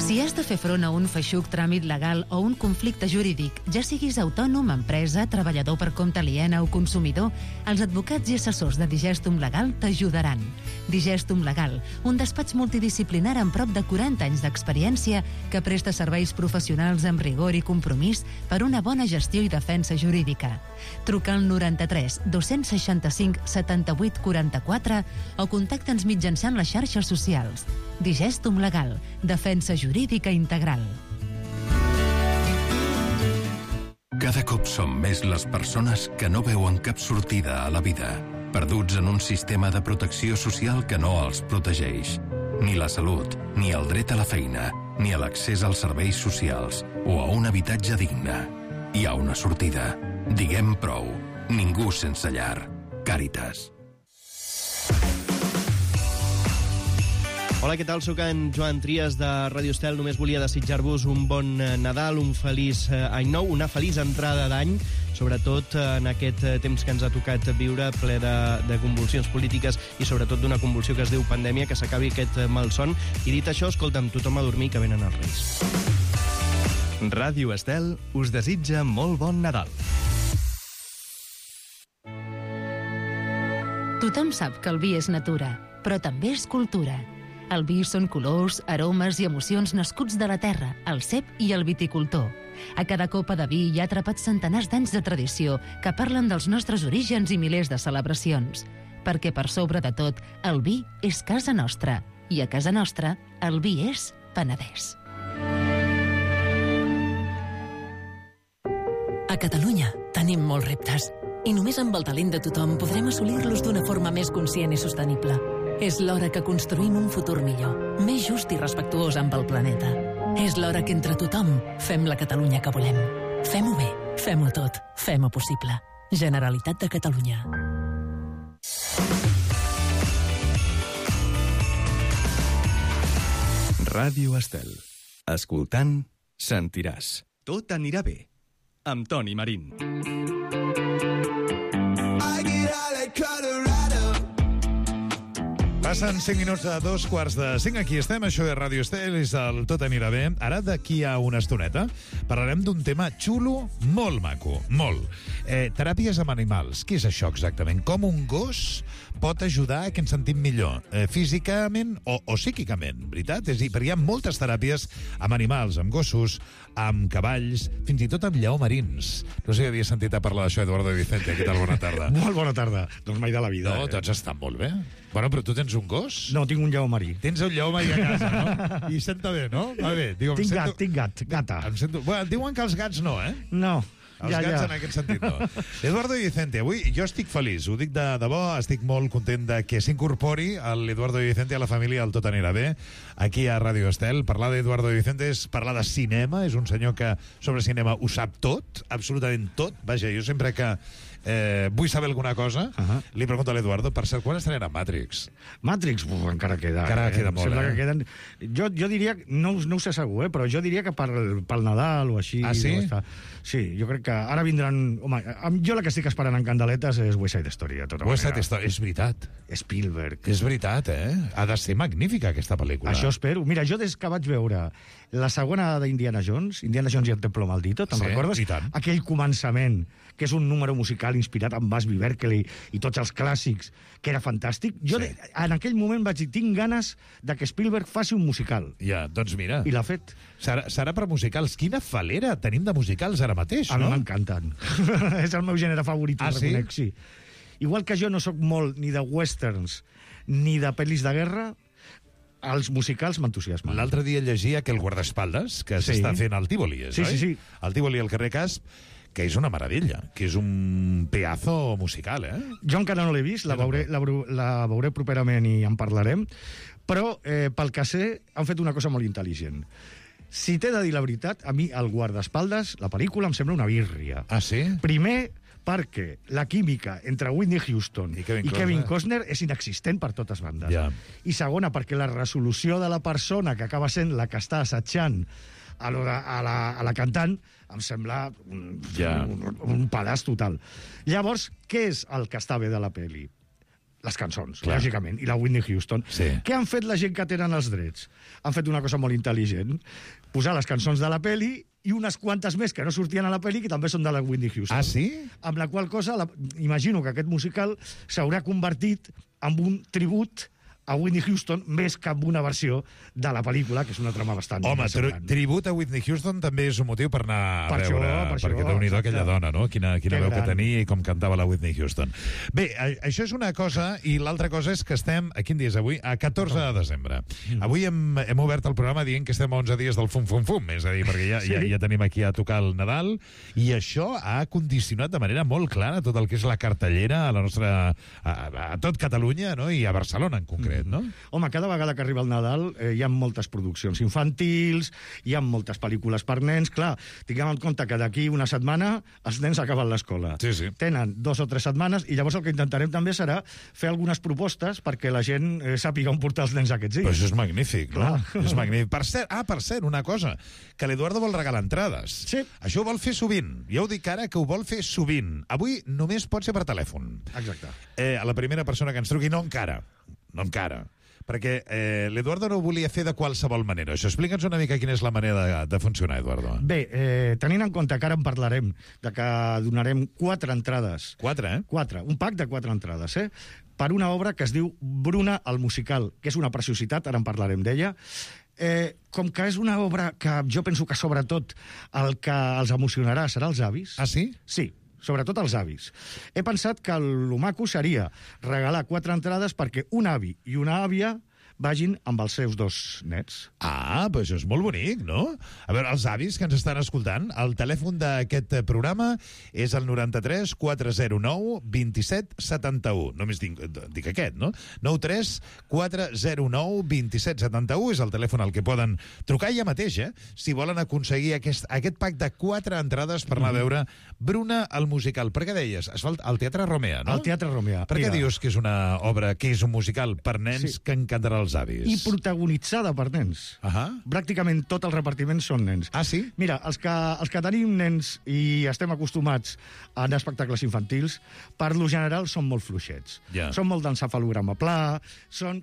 Si has de fer front a un feixuc tràmit legal o un conflicte jurídic, ja siguis autònom, empresa, treballador per compte aliena o consumidor, els advocats i assessors de Digestum Legal t'ajudaran. Digestum Legal, un despatx multidisciplinar amb prop de 40 anys d'experiència que presta serveis professionals amb rigor i compromís per una bona gestió i defensa jurídica. Truca al 93 265 78 44 o contacta'ns mitjançant les xarxes socials. Digestum Legal, defensa jurídica integral. Cada cop som més les persones que no veuen cap sortida a la vida, perduts en un sistema de protecció social que no els protegeix. Ni la salut, ni el dret a la feina, ni a l'accés als serveis socials o a un habitatge digne. Hi ha una sortida. Diguem prou. Ningú sense llar. Càritas. Hola, què tal? Soc en Joan Trias de Ràdio Estel. Només volia desitjar-vos un bon Nadal, un feliç any nou, una feliç entrada d'any, sobretot en aquest temps que ens ha tocat viure, ple de convulsions polítiques i sobretot d'una convulsió que es diu pandèmia, que s'acabi aquest malson. I dit això, escolta'm, tothom a dormir, que venen els Reis. Ràdio Estel us desitja molt bon Nadal. Tothom sap que el vi és natura, però també és cultura. El vi són colors, aromes i emocions nascuts de la terra, el cep i el viticultor. A cada copa de vi hi ha atrapats centenars d'anys de tradició que parlen dels nostres orígens i milers de celebracions. Perquè per sobre de tot, el vi és casa nostra. I a casa nostra, el vi és Penedès. A Catalunya tenim molts reptes i només amb el talent de tothom podrem assolir-los d'una forma més conscient i sostenible. És l'hora que construïm un futur millor, més just i respectuós amb el planeta. És l'hora que entre tothom fem la Catalunya que volem. Fem-ho bé, fem-ho tot, fem-ho possible. Generalitat de Catalunya. Ràdio Estel. Escoltant, sentiràs. Tot anirà bé. Amb Toni Marín. Passen 5 minuts a 2:45. Aquí estem, això és Ràdio Estel, és el Tot anirà bé. Ara, d'aquí a una estoneta, parlarem d'un tema xulo, molt maco, molt. Teràpies amb animals. Què és això exactament? Com un gos pot ajudar a que ens sentim millor, físicament o psíquicament, veritat? És a dir, perquè hi ha moltes teràpies amb animals, amb gossos, amb cavalls, fins i tot amb lleó-marins. No sé si havies sentit a parlar d'això, Eduardo Vicente. Què tal? Bona tarda. Molt bona tarda. Doncs mai de la vida. No, tots estan molt bé. Bueno, però tu tens un gos? No, tinc un lleó-marí. Tens un lleó-marí a casa, no? I senta bé, no? Va bé. Diu, tinc gata. Bueno, diuen que els gats no, eh? No. Els gats en aquest sentit no. Eduardo Vicente, avui jo estic feliç, ho dic de debò, estic molt content de que s'incorpori l'Eduardo Vicente a la família del Tot anirà bé, aquí a Ràdio Estel. Parlar d'Eduardo Vicente és parlar de cinema, és un senyor que sobre cinema ho sap tot, absolutament tot. Vaja, jo sempre que vull saber alguna cosa, li pregunto a l'Eduardo, per cert, quan estrenarà Matrix? Matrix? Encara queda. Encara queda molt, sembla que queden... Jo diria, no ho sé segur, però jo diria que pel Nadal o així... Ah, sí? Sí, jo crec que ara vindran... Home, jo la que estic esperant en candeletes és West Side Story, de tota manera. West Side Story, és veritat. Spielberg. És veritat, Ha de ser magnífica, aquesta pel·lícula. Això espero. Mira, jo des que vaig veure la segona d'Indiana Jones i el Templo Maldito, te'n recordes? I tant. Aquell començament, que és un número musical inspirat en Busby Berkeley i tots els clàssics, que era fantàstic. Jo en aquell moment vaig dir, tinc ganes de que Spielberg faci un musical. Ja, doncs mira. I l'ha fet. Serà per musicals. Quina falera tenim de musicals ara mateix, no? A mi m'encanten. És el meu gènere favorit, reconec, sí. Igual que jo no sóc molt ni de westerns ni de pel·lis de guerra, els musicals m'entusiasmen. L'altre dia llegia que el guardaespaldes, que s'està fent al Tívoli, oi? Sí. Al Tívoli, al carrer Casp, que és una meravella, que és un pedazo musical, Jo encara no l'he vist, la veuré properament i en parlarem, però pel que sé han fet una cosa molt intel·ligent. Si t'he de dir la veritat, a mi el guardaespaldes, la pel·lícula, em sembla una birria. Ah, sí? Primer, perquè la química entre Whitney Houston i Kevin Costner és inexistent per totes bandes. Ja. I segona, perquè la resolució de la persona que acaba sent la que està assetjant a la cantant em sembla un pedaç total. Llavors, què és el que està bé de la pel·li? Les cançons, lògicament, i la Whitney Houston. Sí. Què han fet la gent que tenen els drets? Han fet una cosa molt intel·ligent, posar les cançons de la pel·li i unes quantes més que no sortien a la pel·li que també són de la Whitney Houston. Ah, sí? Amb la qual cosa, imagino que aquest musical s'haurà convertit en un tribut a Whitney Houston més que amb una versió de la pel·lícula, que és una trama bastant... Home, tribut a Whitney Houston també és un motiu per anar a veure, perquè Déu-n'hi-do aquella dona, no? Quina veu que tenia i com cantava la Whitney Houston. Bé, això és una cosa, i l'altra cosa és que estem, a quin dia és avui? A 14 de desembre. Avui hem obert el programa dient que estem a 11 dies del fum-fum-fum, és a dir, perquè ja tenim aquí a tocar el Nadal, i això ha condicionat de manera molt clara tot el que és la cartellera a la nostra... a tot Catalunya, no? I a Barcelona, en concret. concret, no? Home, cada vegada que arriba el Nadal hi ha moltes produccions infantils, hi ha moltes pel·lícules per nens. Clar, tinguem en compte que d'aquí una setmana els nens acaben l'escola. Sí. Tenen 2 o 3 setmanes i llavors el que intentarem també serà fer algunes propostes perquè la gent sàpiga on portar els nens aquests dies. Però això és magnífic, no? És magnífic. Per cert, una cosa, que l'Eduardo vol regalar entrades. Sí. Això ho vol fer sovint. Ja ho dic ara, que ho vol fer sovint. Avui només pot ser per telèfon. Exacte. A la primera persona que ens truqui, no encara. Perquè l'Eduardo no ho volia fer de qualsevol manera. Això, explica'ns una mica quina és la manera de funcionar, Eduardo. Bé, tenint en compte que ara en parlarem, de que donarem 4 entrades. 4, 4, un pack de 4 entrades, per una obra que es diu Bruna, el musical, que és una preciositat, ara en parlarem d'ella. Com que és una obra que jo penso que sobretot el que els emocionarà serà els avis. Ah, sí? Sí, sobretot els avis. He pensat que el maco seria regalar 4 entrades perquè un avi i una àvia vagin amb els seus 2 nets. Ah, però això és molt bonic, no? A veure, els avis que ens estan escoltant, el telèfon d'aquest programa és el 93 409 27 71. Només dic aquest, no? 93 409 27 71 és el telèfon al que poden trucar ja mateix, si volen aconseguir aquest pack de 4 entrades per anar a veure Bruna, el musical. Per què deies? Es fa al Teatre Romea, no? Al Teatre Romea. Per què dius que és una obra, que és un musical per nens que encantarà els avis? I protagonitzada per nens. Pràcticament tot el repartiment són nens. Ah, sí? Mira, els que tenim nens i estem acostumats a anar a espectacles infantils, per lo general són molt fluixets. Són molt d'encefalograma pla, són...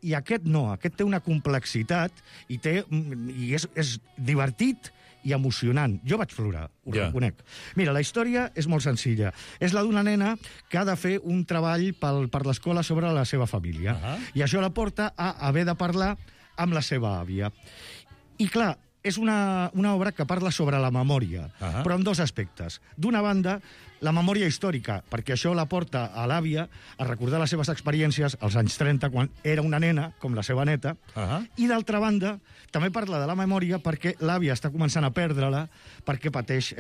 I aquest no, aquest té una complexitat i és divertit i emocionant. Jo vaig plorar, ho reconec. Mira, la història és molt senzilla. És la d'una nena que ha de fer un treball per l'escola sobre la seva família. I això la porta a haver de parlar amb la seva àvia. I clar, és una obra que parla sobre la memòria, però en 2 aspectes. D'una banda, la memòria històrica, perquè això la porta a l'àvia a recordar les seves experiències als anys 30, quan era una nena, com la seva neta, i d'altra banda, també parla de la memòria perquè l'àvia està començant a perdre-la perquè pateix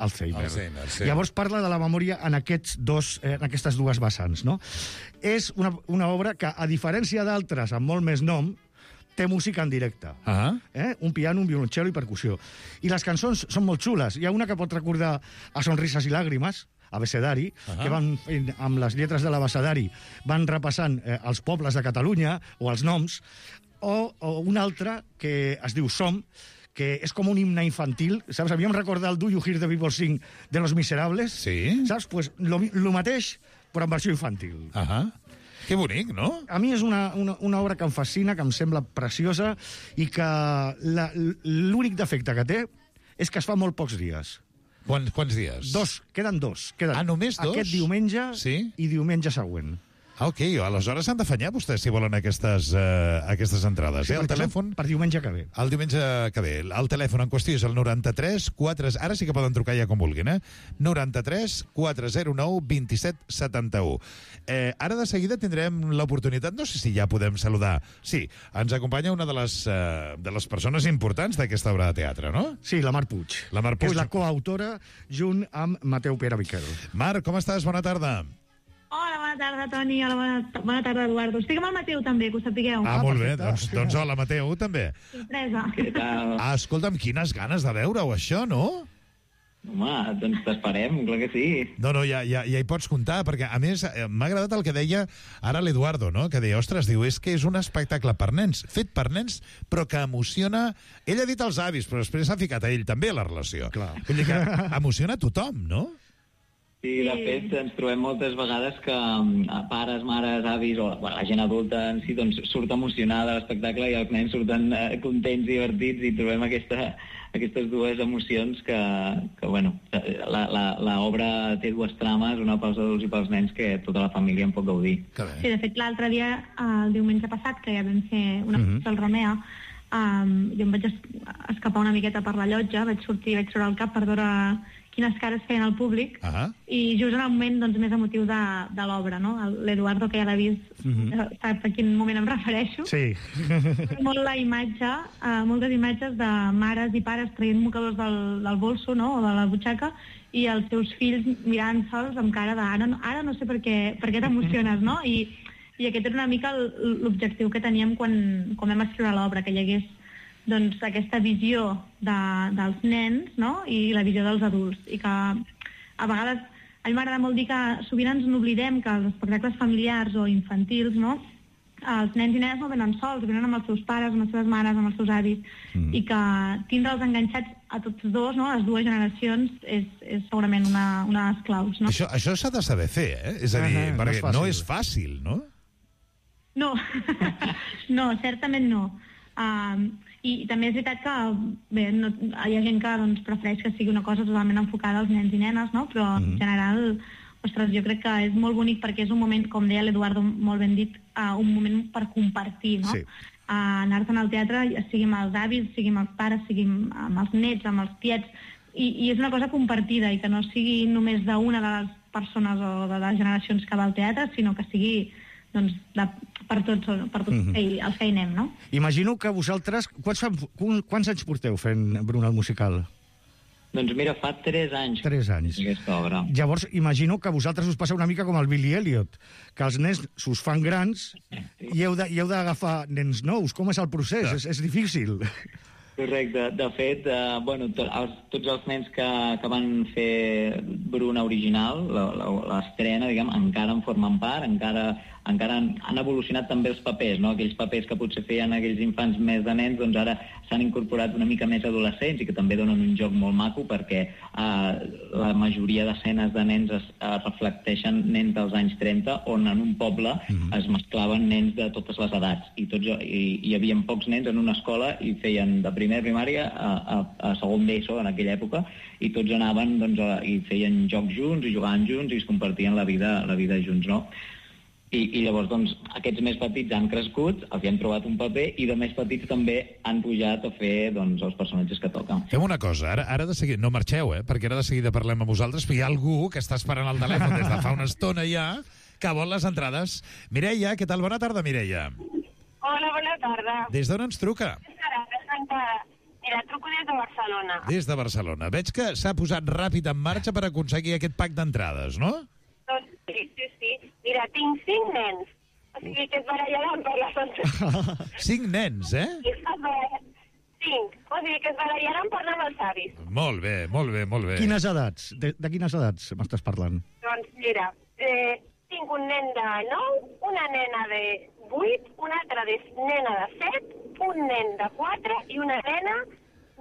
Alzheimer. Llavors parla de la memòria en aquestes 2 vessants, no? És una obra que, a diferència d'altres amb molt més nom, té música en directe. Un piano, un violoncel i percussió. I les cançons són molt xules. Hi ha una que pot recordar a Sonrises i Làgrimes, abecedari, que van fent, amb les lletres de l'abecedari, van repassant els pobles de Catalunya o els noms, o una altra que es diu Som, que és com un himne infantil, saps? A mi em recorda el Do You Hear the People Sing de Los Miserables. Sí? Saps? Pues lo mateix, però en versió infantil. Que bonic, no? A mi és una obra que em fascina, que em sembla preciosa i que l'únic defecte que té és que es fa molt pocs dies. Quants dies? 2, queden 2. Només 2? Aquest diumenge i diumenge següent. Ah, ok, aleshores s'han d'afanyar vostès si volen aquestes entrades. El telèfon... Per diumenge que ve. El diumenge que ve. El telèfon en qüestió és el 93 4... Ara sí que poden trucar ja com vulguin, 93 409 27 71. Ara de seguida tindrem l'oportunitat, no sé si ja podem saludar. Sí, ens acompanya una de les persones importants d'aquesta obra de teatre, no? Sí, la Mar Puig. La Mar Puig. Que és la coautora junt amb Mateu Pere Miquel. Mar, com estàs? Bona tarda. Hola, bona tarda, Toni. Hola, bona tarda, Eduardo. Estic amb el Mateu, també, que ho sapigueu. Ah, molt bé. Doncs hola, Mateu, també. Sorpresa. Què tal? Escolta'm, quines ganes de veure-ho, això, no? Home, doncs t'esperem, clar que sí. No, ja hi pots comptar, perquè, a més, m'ha agradat el que deia ara l'Eduardo, no? Que deia, ostres, diu, és que és un espectacle per nens, fet per nens, però que emociona... Ell ha dit els avis, però després s'ha ficat a ell també a la relació. Clar. Vull dir que emociona a tothom, no? Sí, de fet, ens trobem moltes vegades que pares, mares, avis o la gent adulta en si doncs, surt emocionada de l'espectacle i els nens surten contents, divertits i trobem aquestes 2 emocions que bueno, l'obra té 2 trames, una pausa dolç i pels nens que tota la família en pot gaudir. Sí, de fet, l'altre dia, el diumenge passat, que ja vam fer una funció al Romea, jo em vaig escapar una miqueta per la llotja, vaig sortir al cap per veure quines cares feien al públic, i just en el moment doncs, més emotiu de l'obra, no? L'Eduardo, que ja l'ha vist, sap a quin moment em refereixo. Sí. Molt la imatge, moltes imatges de mares i pares traient mocadors del bolso, no?, o de la butxaca, i els seus fills mirant-se'ls amb cara de ara no sé per què t'emociones, no? I I aquest era una mica l'objectiu que teníem quan vam escriure l'obra, que hi hagués doncs, aquesta visió dels nens, no?, i la visió dels adults. I que a vegades, a mi m'agrada molt dir que sovint ens n'oblidem que els espectacles familiars o infantils, no?, els nens i nenes no venen sols, venen amb els seus pares, amb les seves mares, amb els seus avis, i que tindre'ls enganxats a tots dos, no?, les dues generacions, és segurament una de les claus, no? Això s'ha de saber fer, És a dir, perquè no és fàcil, no? No, no, certament no. I també és veritat que bé, hi ha gent que doncs, prefereix que sigui una cosa totalment enfocada als nens i nenes, no? Però en general, ostres, jo crec que és molt bonic perquè és un moment, com deia l'Eduardo molt ben dit, un moment per compartir, no? Sí. Anar-te'n al teatre, sigui amb els avis, sigui amb els pares, sigui amb els nets, amb els tiets, i és una cosa compartida i que no sigui només d'una de les persones o de les generacions que va al teatre, sinó que sigui doncs, per tots els que hi anem, no? Imagino que vosaltres... Quants anys porteu fent Bruna el musical? Doncs mira, fa 3 anys. 3 anys. Aquesta obra. Llavors, imagino que a vosaltres us passa una mica com el Billy Elliot, que els nens s'us fan grans i heu d'agafar nens nous. Com és el procés? És difícil. Correcte. De fet, tots els nens que van fer Bruna original, l'estrena, diguem, encara en formen part, encara han evolucionat també els papers, no? Aquells papers que potser feien aquells infants més de nens, doncs ara s'han incorporat una mica més adolescents i que també donen un joc molt maco perquè la majoria d'escenes de nens es reflecteixen nens dels anys 30, on en un poble es mesclaven nens de totes les edats i hi havia pocs nens en una escola i feien de primer primària a segon d'ESO en aquella època i tots anaven i feien jocs junts i jugaven junts i es compartien la vida junts, no? I llavors, doncs, aquests més petits han crescut, els hi han trobat un paper, i de més petits també han pujat a fer, doncs, els personatges que toquen. Fem una cosa, ara de seguida, no marxeu, perquè ara de seguida parlem amb vosaltres, però hi ha algú que està esperant al telèfon des de fa una estona ja, que vol les entrades. Mireia, què tal? Bona tarda, Mireia. Hola, bona tarda. Des d'on ens truca? Mira, truco des de Barcelona. Des de Barcelona. Veig que s'ha posat ràpid en marxa per aconseguir aquest pack d'entrades, no? Doncs sí. Mira, tinc 5 nens. O sigui que es barallaran per les entrades. 5 nens, 5. O sigui que es barallaran per anar amb els avis. Molt bé, molt bé, molt bé. Quines edats? De quines edats m'estàs parlant? Doncs mira, tinc un nen de 9, una nena de 8, una altra nena de 7, un nen de 4 i una nena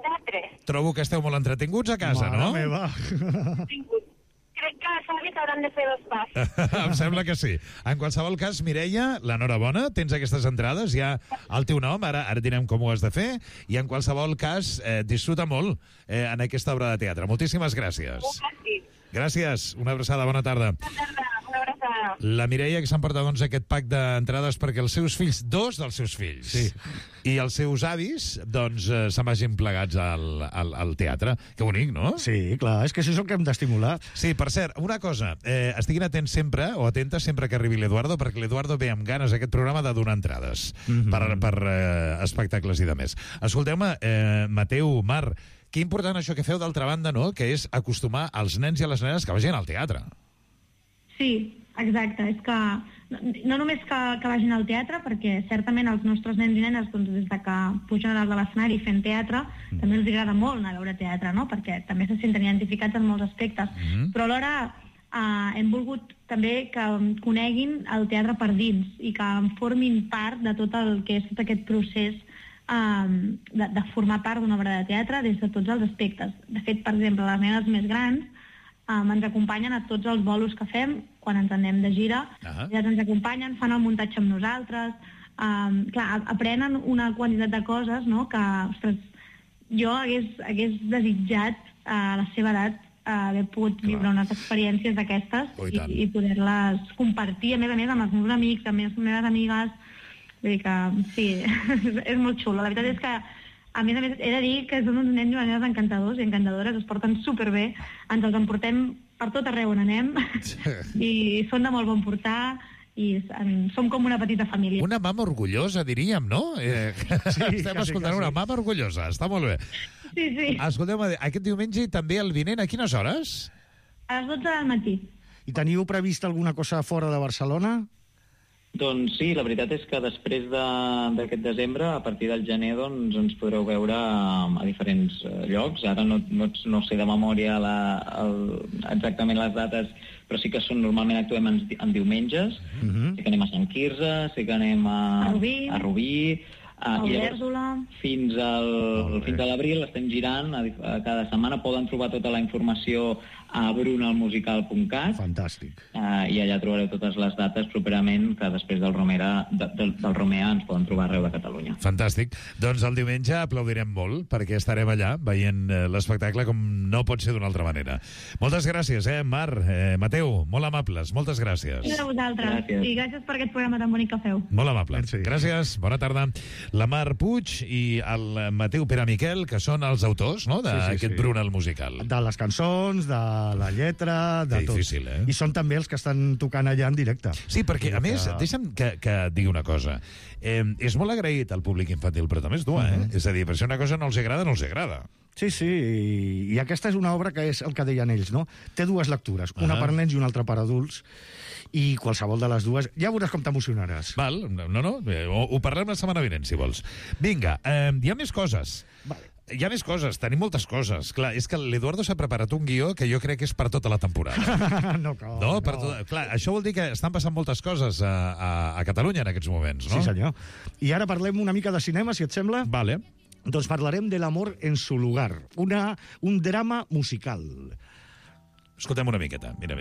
de 3. Trobo que esteu molt entretinguts a casa, no? Mare meva. Crec que els avis hauran de fer 2 passos. Em sembla que sí. En qualsevol cas, Mireia, l'enhorabona, tens aquestes entrades, ja el teu nom, ara direm com ho has de fer, i en qualsevol cas, disfruta molt en aquesta obra de teatre. Moltíssimes gràcies. Gràcies, una abraçada, bona tarda. Bona tarda, una abraçada. La Mireia que s'emporta doncs aquest pack d'entrades perquè els seus fills, 2 dels seus fills, i els seus avis, doncs, se'n vagin plegats al teatre. Que bonic, no? Sí, clar, és que això és el que hem d'estimular. Sí, per cert, una cosa, estiguin atents sempre, o atentes sempre que arribi l'Eduardo, perquè l'Eduardo ve amb ganes a aquest programa de donar entrades per espectacles i de més. Escolteu-me, Mateu, Mar, que important això que feu d'altra banda, no?, que és acostumar els nens i a les nenes que vagin al teatre. Sí, exacte. És que no només que vagin al teatre, perquè certament els nostres nens i nenes, doncs, des de que pugen a dalt de l'escenari fent teatre, també els agrada molt anar a veure teatre, no?, perquè també se senten identificats en molts aspectes. Però alhora hem volgut també que coneguin el teatre per dins i que en formin part de tot el que és tot aquest procés de formar part d'una obra de teatre des de tots els aspectes. De fet, per exemple, les nenes més grans ens acompanyen a tots els bolos que fem quan ens anem de gira. Elles ens acompanyen, fan el muntatge amb nosaltres. Clar, aprenen una quantitat de coses, no?, que, ostres, jo hagués desitjat a la seva edat haver pogut viure unes experiències d'aquestes i poder-les compartir, a més, amb els meus amics, amb les meves amigues. Vull dir que, sí, és molt xulo. La veritat és que, a més, he de dir que són uns nens i nenes encantadors i encantadores, es porten superbé, ens els emportem per tot arreu on anem i són de molt bon portar i som com una petita família. Una mama orgullosa, diríem, no? Estem escoltant una mama orgullosa, està molt bé. Sí. Escolteu-me, aquest diumenge i també el vinent, a quines hores? A les 12 del matí. I teniu previst alguna cosa fora de Barcelona? Doncs sí, la veritat és que després d'aquest desembre, a partir del gener, doncs ens podreu veure a diferents llocs. Ara no sé de memòria exactament les dates, però sí que normalment actuem en diumenges. Sí que anem a Sant Quirze, sí que anem a Rubí, i llavors, fins a l'abril estem girant cada setmana. Poden trobar tota la informació a brunalmusical.cat. Fantàstic. I allà trobareu totes les dates properament, que després del Romea ens poden trobar arreu de Catalunya. Fantàstic. Doncs el diumenge aplaudirem molt, perquè estarem allà veient l'espectacle com no pot ser d'una altra manera. Moltes gràcies, Mar, Mateu, molt amables, moltes gràcies. A vosaltres. I gràcies per aquest programa tan bonic que feu. Molt amable. Gràcies, bona tarda. La Mar Puig i el Mateu Pere Miquel, que són els autors, no?, d'aquest Brunal musical. De les cançons, de la lletra, de tot. Difícil, I són també els que estan tocant allà en directe. Sí, perquè, a més, deixa'm que et digui una cosa. És molt agraït al públic infantil, però també és dur, És a dir, per si una cosa no els agrada, no els agrada. Sí, i aquesta és una obra que és el que deien ells, no? Té dues lectures, una per nens i una altra per adults, i qualsevol de les dues... Ja veuràs com t'emocionaràs. Val, ho parlem la setmana vinent, si vols. Vinga, hi ha més coses. Vale. Hi ha més coses, tenim moltes coses. Clar, és que l'Eduardo s'ha preparat un guió que jo crec que és per tota la temporada. No. Clar, això vol dir que estan passant moltes coses a Catalunya en aquests moments, no? Sí, senyor. I ara parlem una mica de cinema, si et sembla. Vale. Doncs parlarem de l'amor en su lugar, un drama musical. Escoltem una miqueta. Mira.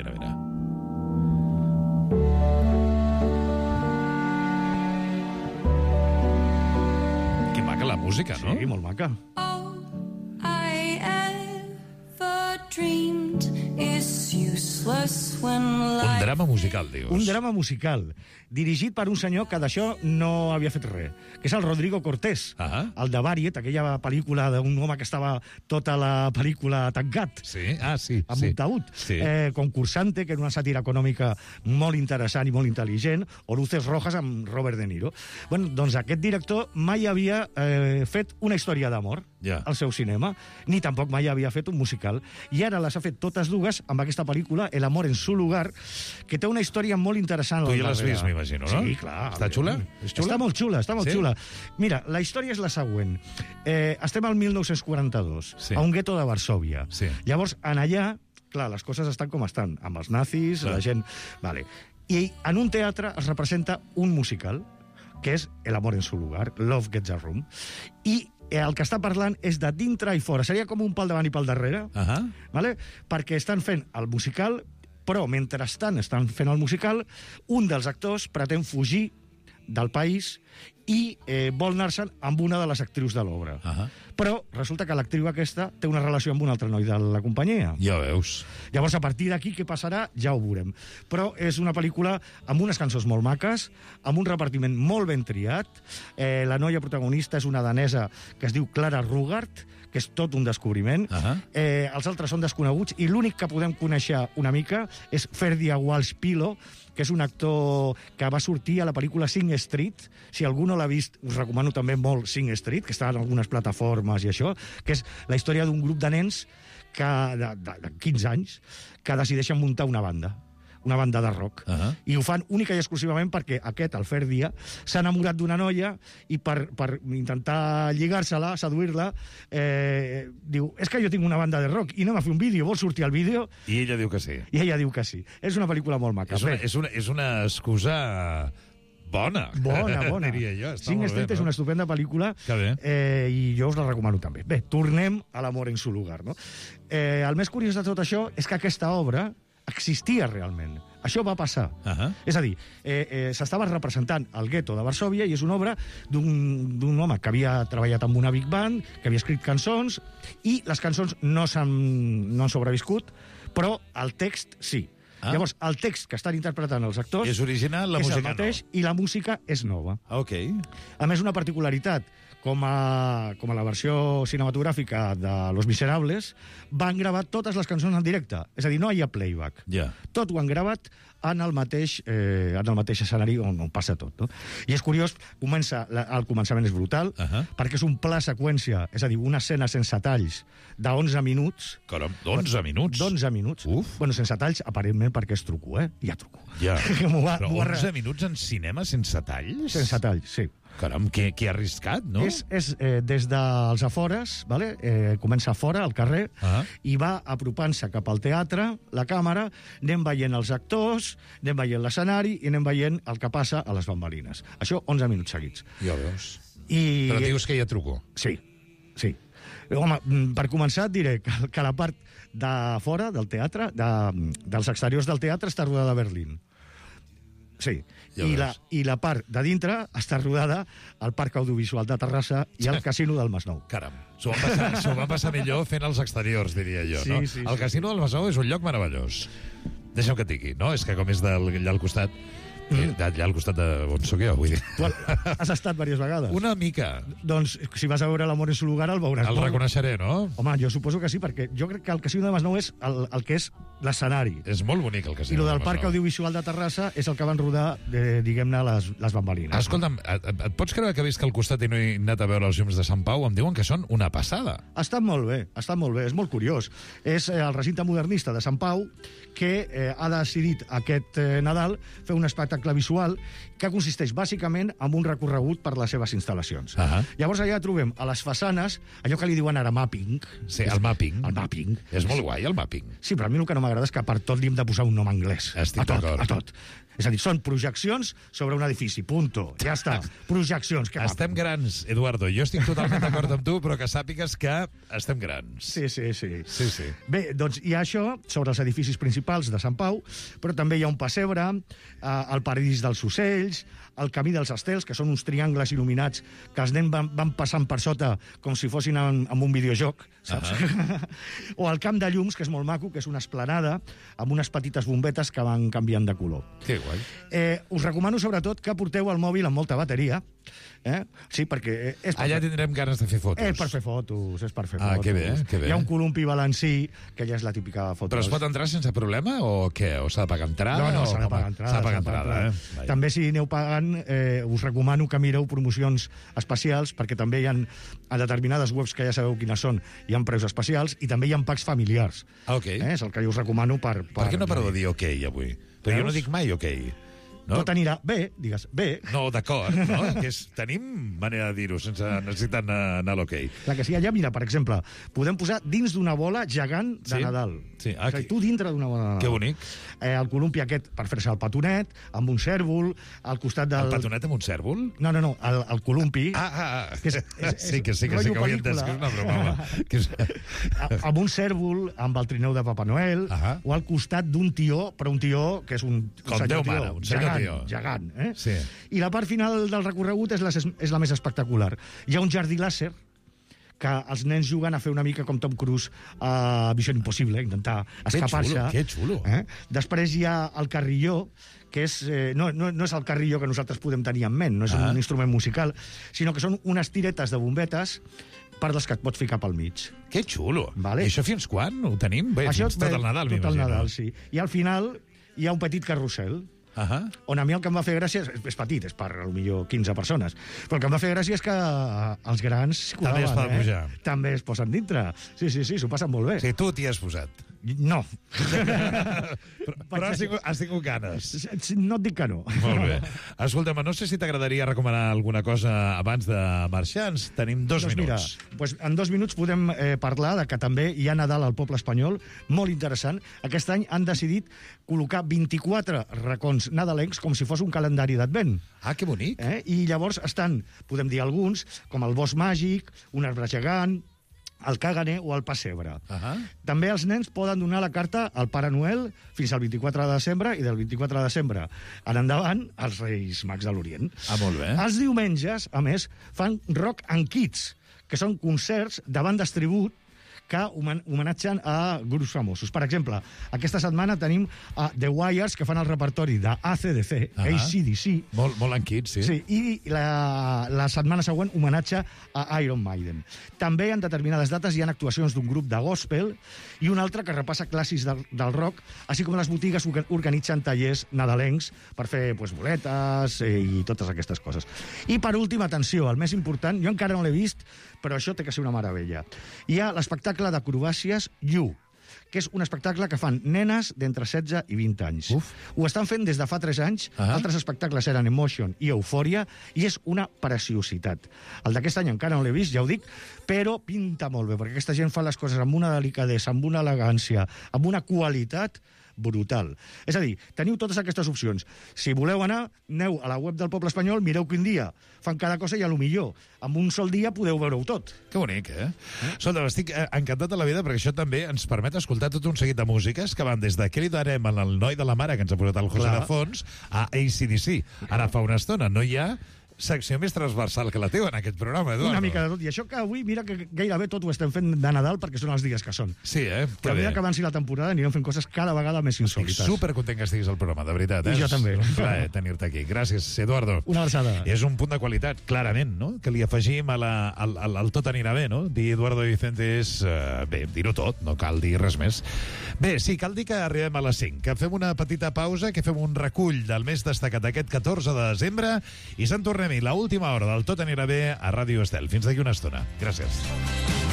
Que maca la música, no? Sí, molt maca. All I ever dreamed is useless when Un drama musical, dius. Un drama musical, dirigit per un senyor que d'això no havia fet res, que és el Rodrigo Cortés, el de Variet, aquella pel·lícula d'un home que estava tota la pel·lícula tancat. Sí, amb un taüt. Sí. Concursante, que era una sàtira econòmica molt interessant i molt intel·ligent, o Luces Rojas amb Robert De Niro. Bueno, doncs aquest director mai havia fet una història d'amor al seu cinema, ni tampoc mai havia fet un musical. I ara les ha fet totes dues amb aquesta pel·lícula, El amor en su lugar, que té una història molt interessant. Tu ja l'has vist, m'imagino, no? Sí, clar. Està xula? És xula? Està molt xula. Mira, la història és la següent. Estem al 1942, a un gueto de Varsòvia. Llavors, en allà, clar, les coses estan com estan, amb els nazis, la gent... Vale. I en un teatre es representa un musical, que és El amor en su lugar, Love Gets a Room, i el que està parlant és de dintre i fora. Seria com un pal davant i pal darrere, vale? Perquè estan fent el musical, però mentrestant estan fent el musical, un dels actors pretén fugir del país i vol anar-se'n amb una de les actrius de l'obra. Però resulta que l'actriu aquesta té una relació amb un altre noi de la companyia. Ja veus. Llavors, a partir d'aquí, què passarà? Ja ho veurem. Però és una pel·lícula amb unes cançons molt maques, amb un repartiment molt ben triat. La noia protagonista és una danesa que es diu Clara Rugart, que és tot un descobriment. Els altres són desconeguts, i l'únic que podem conèixer una mica és Ferdia Walsh-Pilo, que és un actor que va sortir a la pel·lícula Sing Street. Si algú no l'ha vist, us recomano també molt Sing Street, que està en algunes plataformes i això, que és la història d'un grup de nens de 15 anys que decideixen muntar una banda de rock. I ho fan única i exclusivament perquè aquest, el Ferdia, s'ha enamorat d'una noia i per intentar lligar-se-la, seduir-la, diu, és que jo tinc una banda de rock i anem a fer un vídeo, vols sortir al vídeo? I ella diu que sí. I ella diu que sí. És una pel·lícula molt maca. És una excusa... Bona, diria jo. Sing Street és una estupenda pel·lícula i jo us la recomano també. Bé, tornem a l'amor en su lugar, no? El més curiós de tot això és que aquesta obra existia realment. Això va passar. És a dir, s'estava representant el gueto de Varsòvia i és una obra d'un home que havia treballat amb una big band, que havia escrit cançons, i les cançons no han sobreviscut, però el text sí. Llavors, el text que estan interpretant els actors és original, la música és el mateix, no. I la música és nova. A més, una particularitat, com a la versió cinematogràfica de Los Miserables, van gravar totes les cançons en directe. És a dir, no hi ha playback. Tot ho han gravat en el mateix escenari on passa tot. No? I és curiós, el començament és brutal, perquè és un pla seqüència, és a dir, una escena sense talls d'11 minuts. Caram, d'11 minuts? D'11 minuts. Bueno, sense talls, aparentment, per què es truco, Ja truco. Ja. Però 11 minuts en cinema sense talls? Sense talls, sí. Caram, que arriscat, no? És des dels afores, vale? Comença a fora, al carrer, i va apropant-se cap al teatre, la càmera, anem veient els actors, anem veient l'escenari i anem veient el que passa a les bambalines. Això 11 minuts seguits. Ja veus. Però dius que hi ha truco. Sí. Home, per començar et diré que la part de fora del teatre, dels exteriors del teatre, està rodada a Berlín. Sí, i la part de dintre està rodada al Parc Audiovisual de Terrassa i al Casino del Masnou. Caram, s'ho van passar millor fent els exteriors, diria jo, no? El Casino del Masnou és un lloc meravellós. Deixa'm que et digui, no? És que com és allà al costat... Allà al costat de on soc jo, vull dir. Tu has estat diverses vegades? Una mica. Doncs, si vas a veure l'Amor en su lugar, el veuràs. El reconeixeré, no? Home, jo suposo que sí, perquè jo crec que el Casino de Masnou és el que és l'escenari. És molt bonic, el Casino de Masnou. I el del Parc Masnou. Audiovisual de Terrassa és el que van rodar, diguem-ne, les bambalines. Escolta'm, et pots creure que he vist que al costat i no he anat a veure els llums de Sant Pau? Em diuen que són una passada. Estan molt bé, és molt curiós. És el recinte modernista de Sant Pau que ha decidit aquest Nadal fer un espectacle visual que consisteix bàsicament en un recorregut per les seves instal·lacions. Llavors allà trobem a les façanes allò que li diuen ara mapping. Sí, el mapping. El mapping. És molt guai, el mapping. Sí, però a mi el que no m'agrada és que per tot li hem de posar un nom anglès. Estic d'acord. A tot. És a dir, són projeccions sobre un edifici, punto. Ja està. Projeccions. Estem grans, Eduardo. Jo estic totalment d'acord amb tu, però que sàpigues que estem grans. Sí. Bé, doncs hi ha això sobre els edificis principals de Sant Pau, però també hi ha un pessebre, el paradís dels ocells, el camí dels estels, que són uns triangles il·luminats que els nens van passant per sota com si fossin en un videojoc, saps? O el camp de llums, que és molt maco, que és una esplanada amb unes petites bombetes que van canviant de color. Que guai. Us recomano, sobretot, que porteu el mòbil amb molta bateria. Sí, perquè... Allà tindrem ganes de fer fotos. És per fer fotos. Que bé. Hi ha un columpi balancí, que ja és la típica foto. Però es pot entrar sense problema o què? O s'ha de pagar entrada? No, s'ha de pagar entrada. S'ha de pagar entrada, També, si aneu pagant, us recomano que mireu promocions especials, perquè també hi ha a determinades webs que ja sabeu quines són, hi ha preus especials, i també hi ha packs familiars. És el que jo us recomano per... Per què no parlo de dir ok avui? Però jo no dic mai ok. No? Tot anirà bé, digues, bé. No, d'acord, no? Tenim manera de dir-ho sense necessitar anar a l'hoquei. Clar que sí, allà, mira, per exemple, podem posar dins d'una bola gegant de Nadal. Sí, o sigui, tu dintre d'una bola de Nadal. Que bonic. El columpi aquest per fer-se el petonet, amb un cèrvol, al costat del... El petonet amb un cèrvol? No, el columpi. Sí que ho havia entès, que és una broma. Amb un cèrvol, amb el trineu de Papa Noel, o al costat d'un tió, però un tió que és un... Com Déu mare, un senyor gegant. Sí. I la part final del recorregut és la més espectacular. Hi ha un jardí làser que els nens juguen a fer una mica com Tom Cruise a Missió Impossible, intentar escapar-se. Que xulo. Després hi ha el carrilló, que és, no és el carrilló que nosaltres podem tenir en ment, no és un instrument musical, sinó que són unes tiretes de bombetes per les que et pots ficar pel mig. Que xulo. I això fins quan ho tenim? Bé, fins tot el Nadal, m'imagino. Tot el Nadal, sí. I al final hi ha un petit carrusel, on a mi el que em va fer gràcia és petit, és per potser 15 persones, però el que em va fer gràcia és que els grans també es poden pujar. També es posen dintre. Sí, s'ho passen molt bé. Sí, tu t'hi has posat. No. Però has tingut ganes. No et dic que no. Molt bé. Escolta'm, no sé si t'agradaria recomanar alguna cosa abans de marxar. Ens tenim 2 minuts. Mira, en 2 minuts podem parlar de que també hi ha Nadal al poble espanyol, molt interessant. Aquest any han decidit col·locar 24 racons nadalencs com si fos un calendari d'advent. Que bonic. I llavors estan, podem dir alguns, com el bosc màgic, un arbre gegant, el caganer o el pessebre. També els nens poden donar la carta al Pare Noel fins al 24 de desembre i del 24 de desembre en endavant als Reis Mags de l'Orient. Molt bé. Els diumenges, a més, fan Rock and Kids, que són concerts de bandes tribut que homenatgen a grups famosos. Per exemple, aquesta setmana tenim The Wires, que fan el repertori d'ACDC, AC/DC. Molt en kids, sí. I la setmana següent homenatge a Iron Maiden. També en determinades dates hi ha actuacions d'un grup de gospel i un altre que repassa clàssics del rock, així com les botigues organitzen tallers nadalencs per fer boletes i totes aquestes coses. I per últim, atenció, el més important, jo encara no l'he vist, però això té que ser una meravella. Hi ha l'espectacle d'acrobàcies You, que és un espectacle que fan nenes d'entre 16 i 20 anys. Ho estan fent des de fa 3 anys, altres espectacles eren Emotion i Eufòria, i és una preciositat. El d'aquest any encara no l'he vist, ja ho dic, però pinta molt bé, perquè aquesta gent fa les coses amb una delicadesa, amb una elegància, amb una qualitat brutal. És a dir, teniu totes aquestes opcions. Si voleu anar, aneu a la web del Poble Espanyol, mireu quin dia fan cada cosa i a lo millor amb un sol dia podeu veure-ho tot. Que bonic, eh? Escolta, estic encantat de la vida perquè això també ens permet escoltar tot un seguit de músiques que van des de Què li darem al noi de la mare que ens ha posat el José de Fons a AC/DC. Ara fa una estona no hi ha secció més transversal que la teva en aquest programa, Eduardo. Una mica de tot. I això que avui, mira que gairebé tot ho estem fent de Nadal perquè són els dies que són. Sí, Però a mesura que avanci la temporada anirem fent coses cada vegada més insòlites. Estic supercontent que estiguis al programa, de veritat. I jo també. És un plaer tenir-te aquí. Gràcies, Eduardo. Una abraçada. És un punt de qualitat, clarament, no? Que li afegim al tot anirà bé, no? Dir Eduardo Vicente és... bé, dir-ho tot, no cal dir res més. Bé, sí, cal dir que arribem a les 5, que fem una petita pausa, que fem un recull del més destacat d'aquest 14 de desembre i se'n tornem-hi l'última hora del Tot anirà bé a Ràdio Estel. Fins d'aquí una estona. Gràcies.